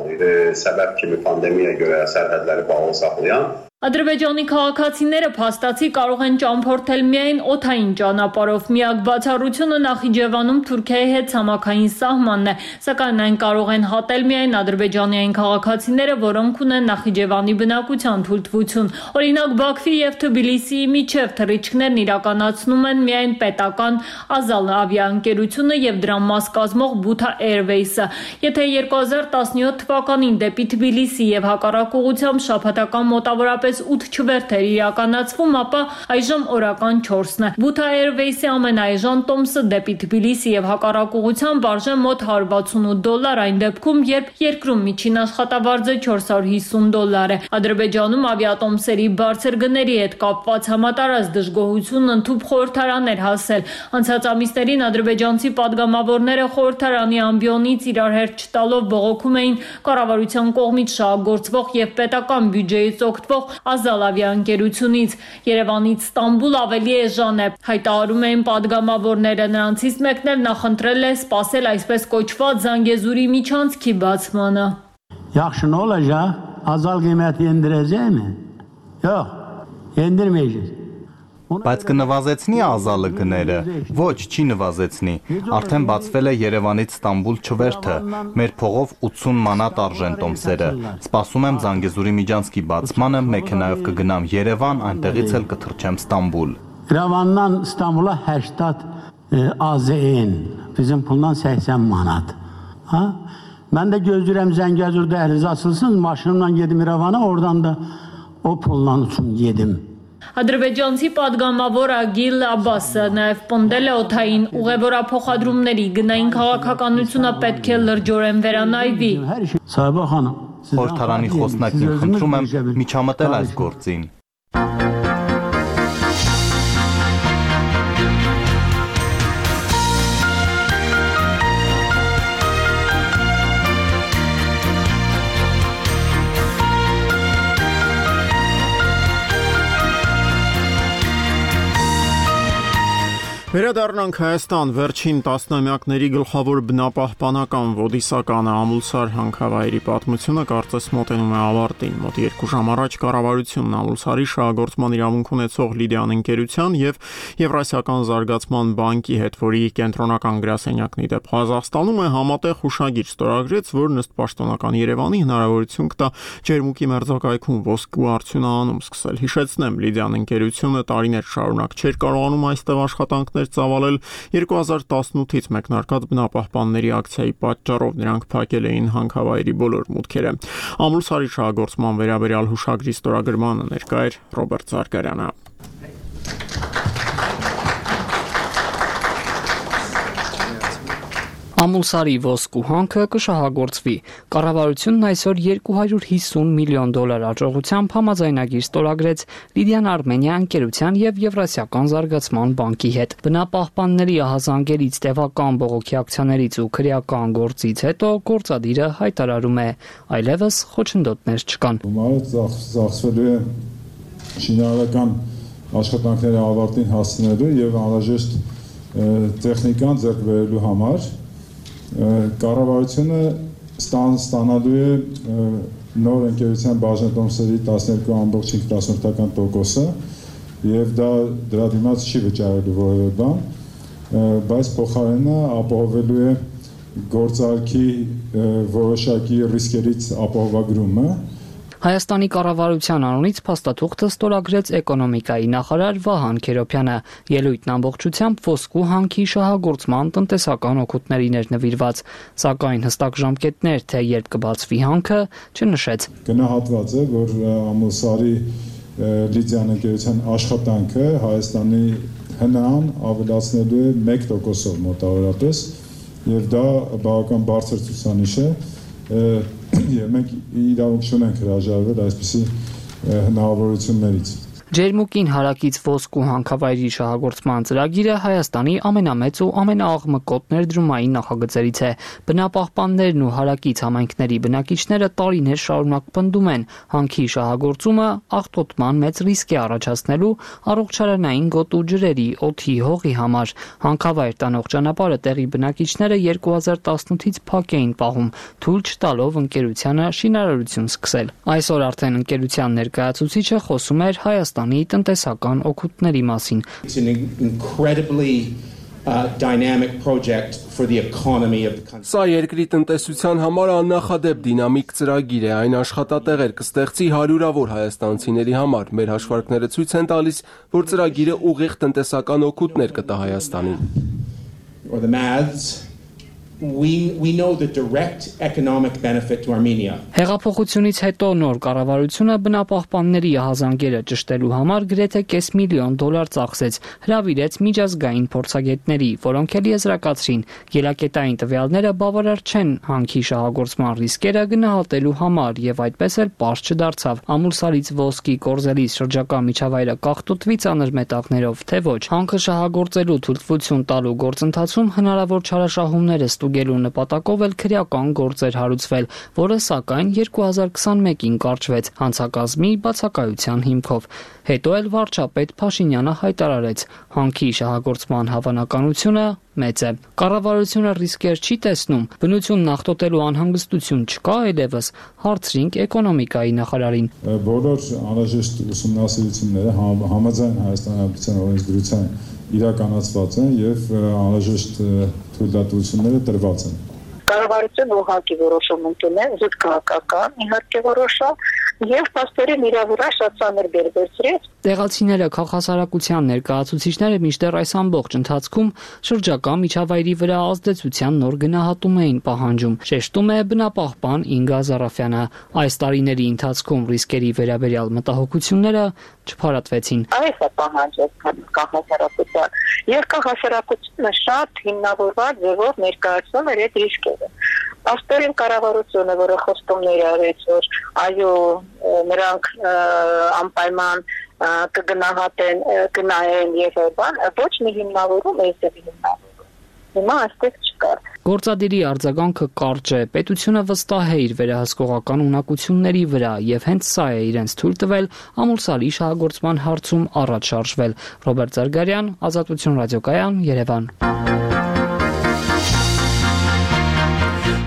Ադրբեջանի քաղաքացիները փաստացի կարող են ճամփորդել միայն օդային ճանապարհով։ Միակ բացառությունը Նախիջևանում Թուրքիայի հետ ցամաքային սահմանն է, սակայն այն կարող են հատել միայն ադրբեջանի այն քաղաքացիները, որոնք ունեն Նախիջևանի բնակության թույլտվություն։ Օրինակ Բաքվի եւ Թբիլիսիի միջև թռիչքներն իրականացնում են միայն պետական Ազալ ավիաընկերությունը եւ դրա մաս կազմող Բութա Airways-ը։ Եթե երկու հազար տասնյոթ թվականին դեպի Թբիլիսի եւ հակառակ ուղղությամբ շաբաթական մոտավորապես ութ չվերթ էր իրականացվում, ապա այժմ օրական չորսն է։ Բութա Airways-ի ամենաէժան տոմսը դեպի Թբիլիսի եւ հակառակ ուղղությամբ արժե մոտ հարյուր վաթսունութ դոլար, այն դեպքում, երբ երկրում միջին աշխատավարձը չորս հարյուր հիսուն դոլար է։ Ադրբեջանում ավիատոմսերի բարձր գների հետ կապված համատարած դժգոհությունն ընդհուպ խորհրդարան էր հասել։ Անցած ամիսներին ադրբեջանցի падգամավորները խորհրդարանի ամբիոնից իրար հերթ չտալով բողոքում էին կառավարության կողմից շահագործվող եւ պետական բյուջեից օգտվող Ազալ ավիաընկերությունից։ Երևանից Ստամբուլ ավելի էժան է, հայտարարում էին падգամավորները։ Նրանցից մեկն էլ նախընտրել է սպասել այսպես կոչված Զանգեզուրի միջանցքի բացմանը։ Yaxşı ne olacak? Azal kıymeti indireceğim mi? Yok, indirmeyeceğiz. Բայց կնվազեցնի ազալը գները։ Ոչ, չի նվազեցնի։ Արդեն բացվել է Երևանից Ստամբուլ չվերթը։ Մեր փողով ութսուն մանատ արժեն տոմսերը։ Սպասում եմ Զանգեզուրի միջանցքի բացմանը, մեքենայով կգնամ Երևան, այնտեղից էլ կթռչեմ Ստամբուլ։ Երևանdan Ստամբուլ'a հեշտատ AZN, bizim puldan səksən manat. Ha? Mən də gözləyirəm Zəngəzur dəhlizi açılsın, maşınımla gedim İrəvana, oradan da o pullan üçün gedim. Ադրբեջանցի падգամավոր Ագիլ Աբասը նաև պնդել է օդային ուղևորափոխադրումների գնային քաղաքականությունը պետք է լրջորեն վերանայվի։ Սահիբա խանım, Խորհրդարանի խոսնակին խնդրում եմ միջամտել այս գործին։ Վերադառնանք Հայաստան, վերջին տասնամյակների գլխավոր բնապահպանական ոդիսականը Ամուլսար հանքավայրի պատմությունը կարծես մոտենում է ավարտին։ Մոտ երկու ժամ առաջ կառավարությունն Ամուլսարի շահագործման իրավունք ունեցող Լիդիան ընկերության եւ Եվրասիական զարգացման բանկի հետ, որի կենտրոնական գրասենյակն ի դեպ Ղազախստանում է, համատեղ հուշագիր ստորագրեց, որն ըստ պաշտոնական Երևանի հնարավորություն կտա Ջերմուկի մերձակայքում ոսկու արդյունահանում սկսել։ Հիշեցնեմ, Լիդիան ընկերությունը տարիներ շարունակ չէր կարողանում այստեղ աշխատանքներ ծավալել երկու հազար տասնութից մեկնարկած բնապահպանների ակցիայի պատճառով նրանք փակել էին հանքավայրի բոլոր մուտքերը։ Ամուլսարի շահագործման վերաբերյալ հուշագրի ստորագրմանը ներկա էր Ռոբերտ Զարգարյանը։ Ամուլսարի ոսկու հանքը կշահագործվի։ Կառավարությունն այսօր երկու հարյուր հիսուն միլիոն դոլար աջողությամբ համաձայնագիր ստորագրեց Լիդիան Արմենիա ընկերության եւ Եվրասիական զարգացման բանկի հետ։ Բնապահպանների ահազանգերից, տևական բողոքի ակցիաներից ու քրեական գործից հետո գործադիրը հայտարարում է այլևս խոչընդոտներ չկան։ Ծախսվելու է շինարարական աշխատանքների ավարտին հասնելու եւ անհրաժեշտ տեխնիկան ձեռք բերելու համար կառավարությունը ստանալու է նոր ընկերության բաժանետոմսերի տասներկու ամբողջ հինգ տասնորդական տոկոսը եւ դա դրա դիմաց չի վճարելու որևէ բան, բայց փոխարենը ապահովելու է գործարքի որոշակի ռիսկերից ապահովագրումը։ Հայաստանի կառավարության անունից փաստաթուղթը ստորագրեց էկոնոմիկայի նախարար Վահան Քերոբյանը։ Ելույթն ամբողջությամբ ոսկու հանքի շահագործման տնտեսական օգուտներին էր նվիրված, սակայն հստակ ժամկետներ, թե երբ կբացվի հանքը, չնշեց։ Գնահատված է, որ Ամուլսարի Լիդիան ընկերության աշխատանքը Հայաստանի հնան ավելացնելու է մեկ տոկոսով մոտավորապես, եւ դա բավական բարձր ցուցանիշ է։ Եվ մենք իրավունք չունենք հրաժարվել այսպիսի հնարավորություններից։ Ջերմուկին հարակից ոսկու հանքավայրի շահագործման ծրագիրը Հայաստանի ամենամեծ ու ամենաաղմկոտ ներդրումային նախագծերից է։ Բնապահպաններն ու հարակից համայնքների բնակիչները տարիներ շարունակ պնդում են, հանքի շահագործումը աղտոտման մեծ ռիսկ է առաջացնելու առողջարանային գոտու ջրերի, օդի, հողի համար։ Հանքավայր տանող ճանապարհը տեղի բնակիչները երկու հազար տասնութից փակ էին պահում, թույլ չտալով ընկերությանը շինարարություն սկսել։ Այսօր արդեն ընկերության ներկայացուցիչը խոսում էր Հայաստանի տնտեսական օգուտների մասին։ Սա երկրի տնտեսության համար աննախադեպ դինամիկ ծրագիր է, այն աշխատատեղեր կստեղծի հարյուրավոր հայաստանցիների համար։ Մեր հաշվարկները ցույց են տալիս, որ ծրագիրը ուղիղ տնտեսական օգուտներ կտա Հայաստանին։ We, we know the direct economic benefit to Armenia. Հեղափոխությունից հետո նոր կառավարությունը բնապահպանների ահազանգերը ճշտելու համար գրեթե կես միլիոն դոլար ծախսեց, հրավիրեց միջազգային փորձագետների, որոնք էլ եզրակացրին, ելակետային տվյալները բավարար չեն հանքի շահագործման ռիսկերը գնահատելու համար եւ այդպես էլ պարզ չդարձավ Ամուլսարից ոսկի կորզելի շրջակա միջավայրը կախտոտվի ծանր մետաղներով, թե ոչ։ Հանքը շահագործելու թույլտվություն տալու գործընթացում հնարավոր չարաշահումները ստուգելու նպատակով էլ քրեական գործ էր հարուցվել, որը սակայն երկու հազար քսանմեկին կարճվեց հանցակազմի բացակայության հիմքով։ Հետո էլ վարչապետ Փաշինյանը հայտարարեց, հանքի շահագործման հավանականությունը մեծ է։ Կառավարությունը ռիսկեր չի տեսնում, բնությունն աղտոտելու անհանգստություն չկա այլևս, հարցրինք էկոնոմիկայի նախարարին։ Բոլոր անհրաժեշտ ուսումնասիրությունները համաձայն Հայաստանի Հանրապետության օրենսդրության իրականացված են եւ անհրաժեշտ թույլատվությունները տրված են։ Կառավարությունը ուղղակի որոշում ընդունել, զուտ քաղաքական, իհարկե որոշա, եւ փաստորեն իր վրա շատ ծանր բերբերցրեց։ Տեղացիները քաղաքասարակության ներկայացուցիչները մինչդեռ այս ամբողջ ընթացքում շրջակա միջավայրի վրա ազդեցության նոր գնահատում էին պահանջում, շեշտում է բնապահպան Ինգա Զարաֆյանը։ Այս տարիների ընթացքում ռիսկերի վերաբերյալ մտահոգությունները չփարատվեցին։ Այս է պահանջը քաղաքասարակության, եւ քաղաքասարակությունը շատ հիմնավորված ձևով ներկայացնում էր այդ ռիսկերը։ Աստորեն կառավարությունը, որը խոստումներ արեց, որ այո, նրանք անպայման կգնահատեն, կնայեն եւ այլն, ոչ մի հիմնավորում էս է հիմնավորում։ Հիմա այստեղ չկար։ Գործադիրի արձագանքը կարճ է, պետությունը վստահ է իր վերահսկողական ունակությունների վրա եւ հենց սա է իրենց թույլ տվել ամուրսալի շահագործման հարցում առաջ շարժվել։ Ռոբերտ Զարգարյան, Ազատություն ռադիոկայան, Երևան։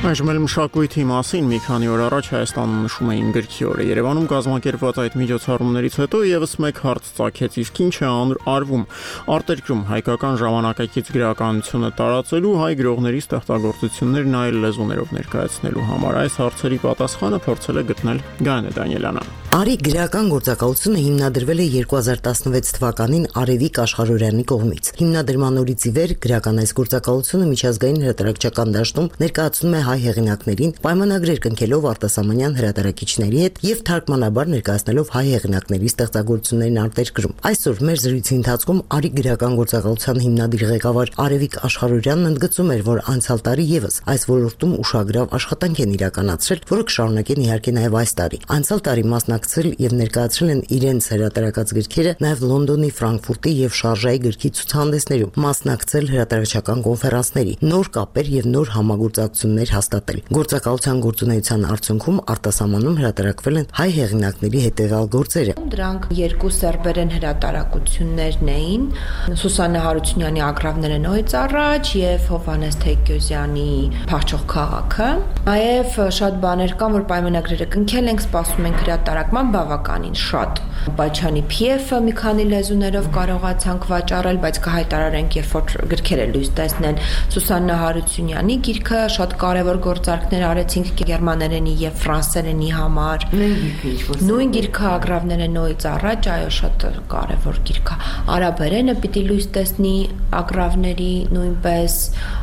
Այժմ էլ մշակույթի մասին մի քանի օր առաջ Հայաստանում նշում էին գրքի օրը։ Երևանում կազմակերպված այդ միջոցառումներից հետո եւս մեկ հարց ծագեց, իսկ ինչ է արվում արտերկրում հայկական ժամանակակից գրականությունը տարածելու, հայ գրողների ստեղծագործություններն այլ լեզուներով ներկայացնելու համար։ Այս հարցերի պատասխանը փորձել է գտնել Գայանե Դանիելյանը։ Արի գրական գործակալությունը հիմնադրվել է երկու հազար տասնվեց թվականին Արևիկ Աշխարհորյանի կողմից։ Հիմնադրման օրից ի վեր գրական այս գործակալությունը միջազգային հրատարակչական դաշտում ներկայացնում է հայ հեղինակներին, պայմանագրեր կնքելով արտասահմանյան հրատարակիչների հետ եւ թարգմանաբար ներկայացնելով հայ հեղինակների ստեղծագործություններին արտերկրում։ Այսօր մեր զրույցի ընթացքում Արի գրական գործակալության հիմնադիր ղեկավար Արևիկ Աշխարհորյանն ընդգծում էր, որ անցյալ տարի եւս այս ոլորտում ուշագրավ աշխատանք են իրականացրել, որը կշարունակեն իհարկե նաեւ այս տարի։ Անցյալ տարի մասնակցել եւ ներկայացրել են իրենց հրատարակած գրքերը նաեւ Լոնդոնի, Ֆրանկֆուրտի եւ Շարժայի գրքի ցուցահանդեսներում, մասնակցել հրատարակչական կոնֆերանսների, նոր կապեր եւ նոր համագործակցություններ հաստատել։ Գործակալության գործունեության արդյունքում արտասահմանում հրատարակվել են հայ հեղինակների հետևյալ գործերը։ Դրանք երկու սերբերեն հրատարակություններն էին՝ Սուսաննա Հարությունյանի Ագռավները նոյից առաջ եւ Հովհաննես Թեկյոզյանի Փախչող քաղաքը։ Նաեւ շատ բաներ կան, որ պայմանագրերը կնքել ենք, սպասում ենք հրատարակման բավականին շատ։ Պաչյանի Փիեֆը մի քանի լեզուներով կարողացանք վաճառել, բայց կհայտարարենք, երբ որ գրքերը լույս տեսնեն։ Սուսաննա Հարությունյանի գիրքը շատ կարևոր գործարքներ արեցինք գերմաներենի եւ ֆրանսերենի համար։ Նույն գիրքը Ագռավները նոյից առաջ, այո, շատ կարևոր գիրք է։ Արաբերենը պիտի լույս տեսնի Ագռավների նույնպես,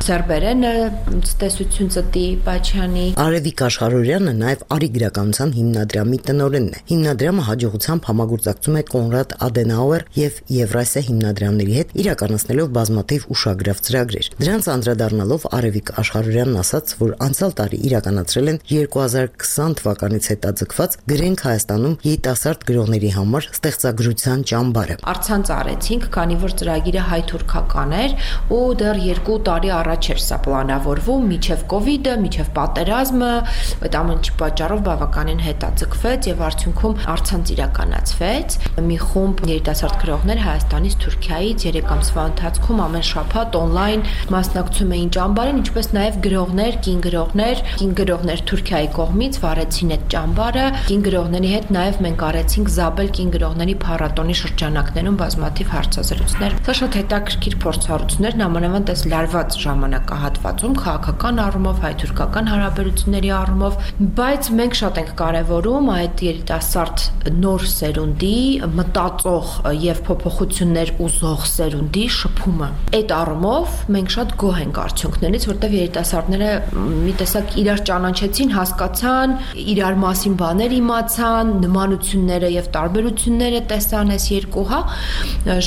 սերբերենը տեսություն ծտի Պաչյանի։ Արևիկ Աշխարհորյանը նաեւ Արի գրականության հիմնադրամի տնօրենն է։ Հիմնադրամը հաջողությամբ համագործակցում է Կոնրադ Ադենաուեր եւ Եվրասիա հիմնադրամների հետ, իրականացնելով բազմաթիվ ուշագրավ ծրագրեր։ Դրանց անդրադառնալով Արևիկ Աշխարհորյանն ասաց, որ անցյալ տարի իրականացրել են երկու հազար քսան թվականից հետաձգված Գրենք Հայաստանում երիտասարդ գրողների համար ստեղծագրության ճամբարը։ Արցանց արեցինք, քանի որ ծրագիրը հայ-թուրքական էր ու դեռ երկու տարի առաջ էր սա պլանավորվում, միջև կովիդը, միջև պատերազմը, այդ ամենի պատճառով բավականին հետաձգվեց եւ արդյունքում արցանց իրականացվեց։ Մի խումբ երիտասարդ գրողներ Հայաստանից, Թուրքիայից երեք ամսվա ընթացքում ամեն շաբաթ on-line մասնակցում էին ճամբարին, ինչպես նաեւ գրողներ, կին գրողներ, կին գրողներ Թուրքիայի կողմից վարեցին այդ ճամբարը։ Կին գրողների հետ նաեւ մենք արեցինք Զաբել կին գրողների փառատոնի շրջանակներում բազմաթիվ հարցազրույցներ։ Սա շատ հետաքրքիր փորձառություններ, նամանավանդ այս լարված ժամանակահատվածում քաղաքական առումով, հայ-թուրքական հարաբերությունների առումով, բայց մենք շատ ենք կարևորում այդ երիտասարդ նոր սերունդի, մտածող եւ փոփոխություններ ուզող սերունդի շփումը։ Այդ առումով մենք շատ գոհ ենք արդյունքներից, որտեղ երիտասարդները մի տեսակ իրար ճանաչեցին, հասկացան, իրար մասին բաներ իմացան, նմանությունները եւ տարբերությունները տեսան այս երկու, հա,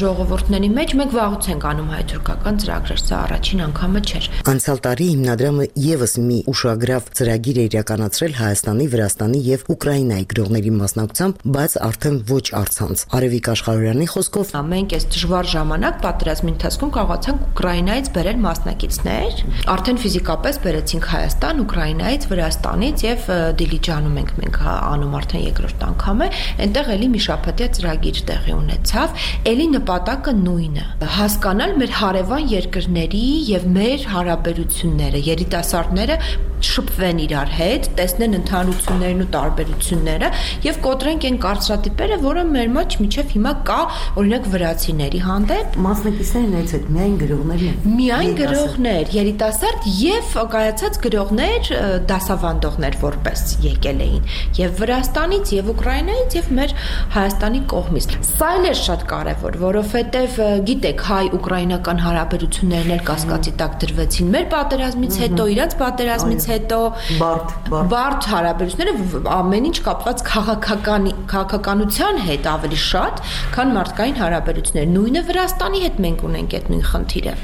ժողովուրդների մեջ։ Մենք վաղուց ենք անում հայ-թուրքական ծրագրեր, սա առաջին անգամը չէր։ Անցյալ տարի հիմնադրամը եւս մի ուշագրավ ծրագիր է իրականացրել Հայաստանի, Վրաստանի եւ Ուկրաինայի գրողների մասնակցությամբ, բայց արդեն ոչ առցանց։ Արևիկ Աշխարհյանի խոսքով մենք այս դժվար ժամանակ պատերազմի ընթացքում կարողացանք Ուկրաինայից բերել մասնակիցներ, արդեն ֆիզիկապես բերեցինք Հայաստան, Ուկրաինայից, Վրաստանից եւ Դիլիջանում ենք մենք անում արդեն երկրորդ անգամ է, այնտեղ էլի մի շաբաթյա ծրագիր տեղի ունեցավ, էլի նպատակը նույնը՝ հասկանալ մեր հարևան երկրների եւ մեր հարաբերությունները, երիտասարդները շփվեն իրար հետ, տեսնեն ընդհանրություններն ու տարբերությունները եւ կոտրենք այն կարծրատիպերը, որը մեր մոտ մինչեւ հիմա կա, օրինակ վրացիների հանդեպ մասնակիցներն այս հետ միայն գրողներն են։ Միայն գրողներ, երիտասարդ եւ կայացած գրողներ, դասավանդողներ որպես եկել էին եւ Վրաստանից եւ Ուկրաինայից եւ մեր Հայաստանի կողմից։ Սա էլ է շատ կարեւոր, որովհետեւ գիտեք, հայ-ուկրաինական հարաբերություններն էլ կասկածի տակ դրվեցին մեր պատերազմից հետո, իրանց պատերազմից հետո բարդ բարդ հարաբերությունները ամեն ինչ կապված քաղաքական քաղաքականության հետ ավելի շատ, քան մարդկային հարաբերություններ։ Նույնը Վրաստանի հետ մենք ունենք այդ նույն խնդիրը։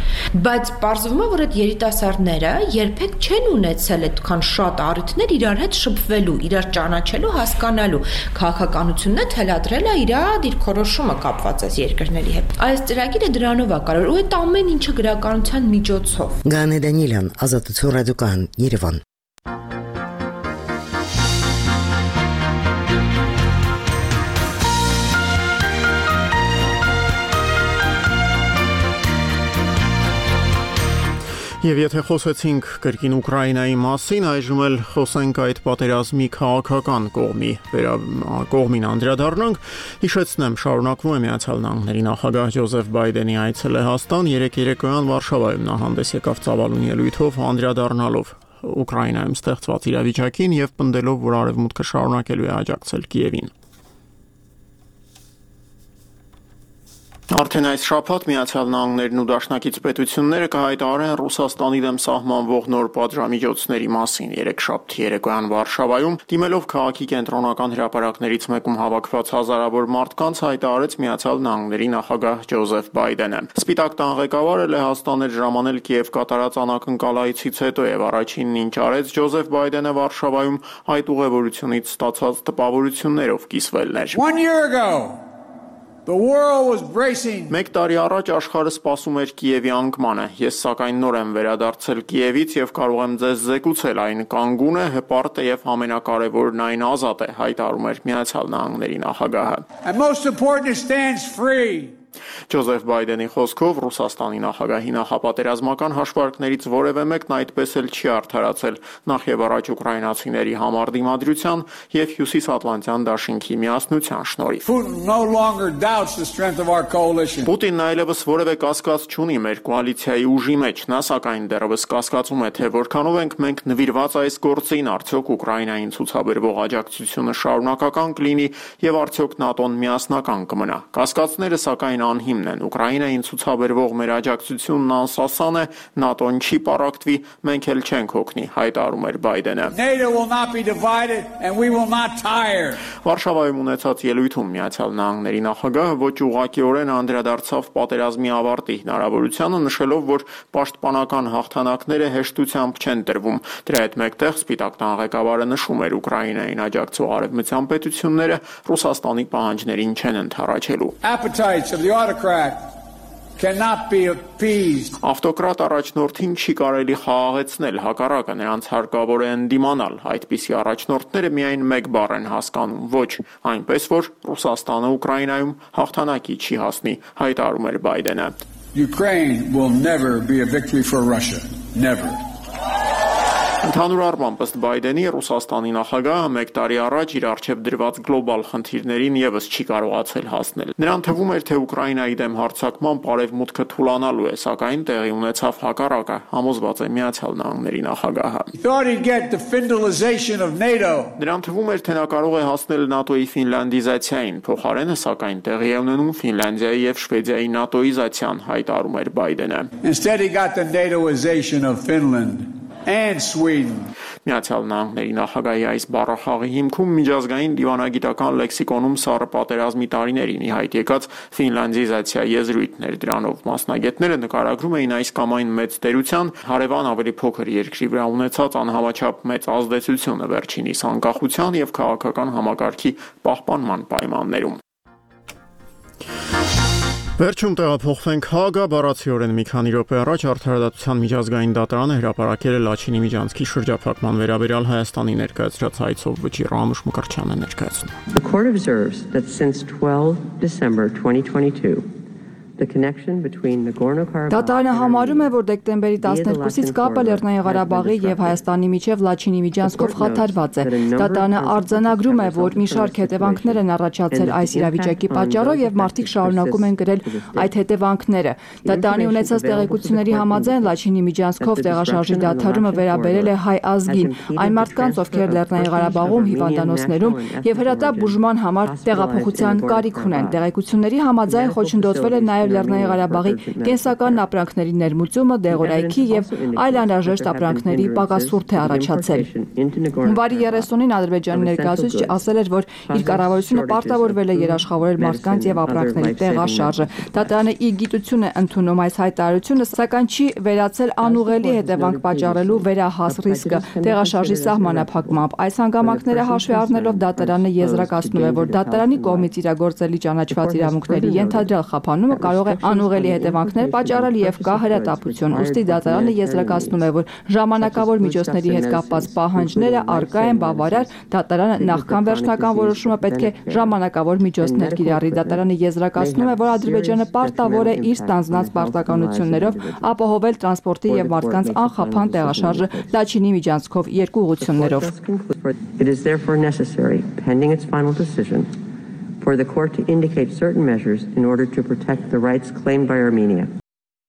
Բայց պարզվում է, որ այդ երիտասարդները երբեք չեն ունեցել այդքան շատ առիթներ իրար հետ շփվելու, իրար ճանաչելու, հասկանալու։ Քաղաքականությունը թելադրել է իր դիրքորոշումը կապված այս երկրների հետ։ Այս ծրագիրը դրանով է կարող, ու այդ ամեն ինչը գրականության միջոցով։ Գանե Դանիելյան, Ազատություն ռադիոկայան, Երևան։ Եվ եթե խոսեցինք կրկին Ուկրաինայի մասին, այժմ էլ խոսենք այդ պատերազմի քաղաքական կողմի կողմին անդրադառնանք։ Հիշեցնեմ, շարունակվում է Միացյալ Նահանգների նախագահ Ջոզեֆ Բայդենի այցը Լեհաստան, երեկ երեկոյան Վարշավայում նա հանդես եկավ ծավալուն ելույթով, անդրադառնալով Ուկրաինայում ստեղծված իրավիճակին եւ պնդելով, որ Արևմուտքը շարունակելու է աջակցել Կիևին։ Արդեն այս շաբաթ Միացյալ Նահանգներն ու դաշնակից պետությունները կհայտարարեն Ռուսաստանի դեմ սահմանվող նոր պատժամիջոցների մասին։ Երեքշաբթի երեկոյան Վարշավայում, դիմելով քաղաքի կենտրոնական հրապարակներից մեկում հավաքված հազարավոր մարդկանց, հայտարարեց Միացյալ Նահանգների նախագահ Ջոզեֆ Բայդենը։ Սպիտակ տան ղեկավարը Լեհաստան էր ժամանել Կիև կատարած անակնկալայցից հետո եւ առաջինն ինչ արեց Ջոզեֆ Բայդենը Վարշավայում այդ ուղևորությունից ստացած տպավորություններով կիսվելն էր։ One year ago The world was bracing. Մեկ տարի առաջ աշխարհը սպասում էր Կիևի անկմանը։ Ես սակայն նոր եմ վերադարձել Կիևից եւ կարող եմ ձեզ զեկուցել, այն կանգուն է, հպարտ է եւ ամենակարևորն այն ազատ է, հայտարարում էր Միացյալ Նահանգների նախագահը։ And most important, it stands free. Ջոզեֆ Բայդենի խոսքով Ռուսաստանի նախագահի նախապատերազմական հաշվարկներից որևէ մեկն այդպես էլ չի արդարացել նախ եւ առաջ ուկրաինացիների համառ դիմադրության եւ Հյուսիսատլանտյան դաշինքի միասնության շնորհիվ։ Պուտինն այլևս որևէ կասկած չունի մեր կոալիցիայի ուժի մեջ, նա սակայն դեռևս կասկածում է, թե որքանով ենք մենք նվիրված այս գործին, արդյոք Ուկրաինային ցուցաբերվող աջակցությունը շարունակական կլինի եւ արդյոք ՆԱՏՕ-ն միասնական կմնա։ Կասկածները սակայն անհիմն են։ Ուկրաինային ցուցաբերվող մեր աջակցությունն անսասան է, ՆԱՏՕ-ն չի պառակտվի, մենք էլ չենք հոգնի, հայտարարում էր Բայդենը։ Վարշավայում ունեցած ելույթում Միացյալ Նահանգների նախագահը ոչ ուղղակիորեն անդրադարձավ պատերազմի ավարտի հնարավորությանը, նշելով, որ պաշտպանական հաղթանակները հեշտությամբ չեն տրվում։ Դրա հետ մեկտեղ Սպիտակ տան ղեկավարը նշում էր Ուկրաինային աջակցող արևմտյան պետությունները Ռուսաստանի պահանջներին չեն ընդառաջելու։ Cannot be appeased. Ավտոկրատ առաջնորդին չի կարելի խաղաղեցնել, հակառակը նրանց հարկավոր է ընդդիմանալ։ Այդպիսի առաջնորդները միայն մեկ բառ են հասկանում՝ ոչ, այնպես որ Ռուսաստանը Ուկրաինայում հաղթանակի չի հասնի, հայտարարում էր Բայդենը։ Ukraine will never be a victory for Russia. Never. Ընդհանուր առմամբ ըստ Բայդենի Ռուսաստանի նախագահը մեկ տարի առաջ իր առջև դրված գլոբալ խնդիրներին եւս չի կարողացել հասնել։ Նրան թվում էր, թե Ուկրաինայի դեմ հարձակման արևմուտքը թուլանալու է, սակայն տեղի ունեցավ հակառակը, համոզված է Միացյալ Նահանգների նախագահը։ Նրան թվում էր, թե նա կարող է հասնել ՆԱՏՕ-ի ֆինլանդիզացիային, փոխարենը սակայն տեղի է ունենում Ֆինլանդիայի եւ Շվեդիայի ՆԱՏՕ-իզացիան, հայտարարում էր Բայդենը։ Instead he got the NATOization of Finland. and Sweden. Միացյալ Նահանգների նախագահի այս բառախաղի հիմքում միջազգային դիվանագիտական լեքսիկոնում սառը պատերազմի տարիներին ի հայտ եկած ֆինլանդիզացիա եզրույթներ, դրանով մասնագետները նկարագրում էին այս կամ այն մեծ տերության հարևան ավելի փոքր երկրի վրա ունեցած անհամաչափ մեծ ազդեցությունը վերջինիս անկախության եւ քաղաքական համակարգի պահպանման պայմաններում։ Վերջում տեղափոխվենք Հագա, բառացիորեն մի քանի րոպե առաջ Արդարադատության միջազգային դատարանը հրապարակել է Լաչինի միջանցքի շրջափակման վերաբերյալ Հայաստանի ներկայացրած հայցով վճիռ Ամուշ Մկրտչյանը ներկայացնում։ The court observes that since twelve December twenty twenty-two Դատարանը համարում է, որ դեկտեմբերի տասներկուսից կապը Լեռնային Ղարաբաղի եւ Հայաստանի միջև Լաչինի միջանցքով խաթարված է։ Դատարանը արձանագրում է, որ մի շարք հետևանքներ են առաջացել այս իրավիճակի պատճառով եւ մարդիկ շարունակում են կրել այդ հետևանքները։ Դատարանի ունեցած տեղեկությունների համաձայն Լաչինի միջանցքով տեղաշարժի դադարումը վերաբերել է հայ ազգին, այն մարդկանց, ովքեր Լեռնային Ղարաբաղում հիվանդանոցներում եւ հրատապ բուժման համար տեղափոխության կարիք ունեն։ Տեղեկությունների համաձայն խոչընդոտվել է նաեւ Լեռնային Ղարաբաղի կենսական ապրանքների ներմուծումը, դեղորայքի եւ այլ անհրաժեշտ ապրանքների պակասուրդ է առաջացել։ Հունվարի երեսունին Ադրբեջանի ներկայացուցիչը ասել էր, որ իր կառավարությունը պարտավորվել է երաշխավորել մարդկանց եւ ապրանքների տեղաշարժը։ Դատարանը ի գիտություն է ընդունում այս հայտարարությունը, սակայն չի վերացել անուղելի հետևանք պատճառելու վերահաս ռիսկը տեղաշարժի սահմանափակմամբ։ Այս հանգամանքները հաշվի առնելով դատարանը եզրակացնում է, որ դատարանի կողմից իրագործելի ճանաչված իրավունքների ենթադրյալ խափանումը կարող է անուղելի հետևանքներ պատճառել եւ կա հրատապություն։ Ուստի դատարանը եզրակացնում է, որ ժամանակավոր միջոցների հետ կապված պահանջները առկա են բավարար, դատարանը նախքան վերջնական որոշումը պետք է ժամանակավոր միջոցներ կիրառի։ Դատարանը եզրակացնում է, որ Ադրբեջանը պարտավոր է իր ստանձնած պարտականություններով ապահովել տրանսպորտի եւ մարդկանց անխափան տեղաշարժը Լաչինի միջանցքով երկու ուղղություններով։ It is therefore necessary, pending its final decision, for the court to indicate certain measures in order to protect the rights claimed by Armenia.